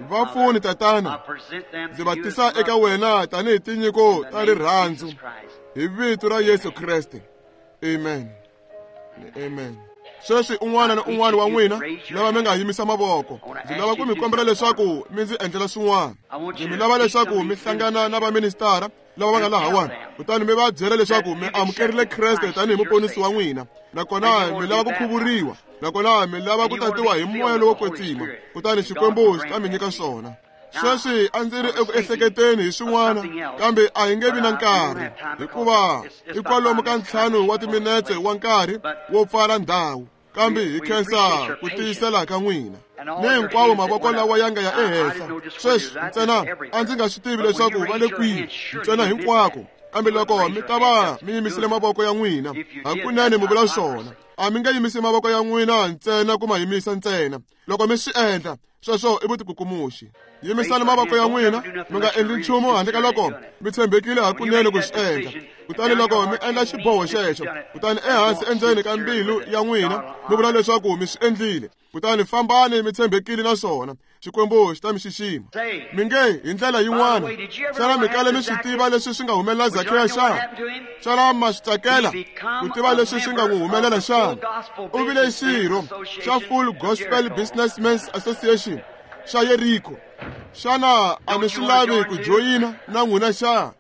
Va pfuni, Tatana, ndzi va tisa eka wena tanihi tinyiko ta rirhandzu, hi vito ra Yesu Kreste. Amen. Amen. Sweswi un'wana na un'wana wa n'wina lava mi nga yimisa mavoko, ndzi lava ku mi kombela leswaku mi ndzi endlela swin'wana. Ndzi mi lava leswaku mi hlangana na vaministara lava va nga lahawani, kutani mi va byela leswaku mi amukerile Kreste tanihi muponisi wa n'wina, nakona mi lava ku khuvuriwa, nakona mi lava ku tatiwa hi moya lowo kwetsima, kutani Xikwembu xi ta mi nyika swona. Sweswi a ndzi ri eku ehleketeni hi swin'wana, kambe a hi nge vi na nkarhi, hikuva i kwalomu ka ntlhanu wa timinetse wa nkarhi wo pfala ndhawu. Kambe hi khensa ku tiyisela ka n'wina ni hinkwawo mavoko lawa ya nga ya ehenhla. Sweswi ntsena a ndzi nga swi tivi leswaku va le kwihi, ntsena hinkwako. Kambe loko mi ta va mi yimisile mavoko ya n'wina, hakunene mi vula swona. A mi nge yimisi mavoko ya n'wina ntsena ku ma yimisa ntsena. Loko mi swi endla, sweswo i vutikukumuxi. Yimisani mavoko ya n'wina, mi nga endli nchumu handle ka loko mi tshembekile hakunene ku swi endla. Kutani loko mi endla xiboho xexo, kutani ehansi endzeni ka mbilu ya n'wina mi vula leswaku mi swi endlile, kutani fambani mi tshembekile na swona, Xikwembu xi ta mi xixima. Mi nge hi ndlela yin'wana, xana mi kale mi swi tiva leswi swi nga humelela Zakheya xana? Xana ma swi tsakela ku tiva leswi swi nga n'wi humelela xana? U vile xirho xa Full Gospel Businessmen's Association xa Yeriko. Xana a mi swi lavi ku joyina na n'wina xana?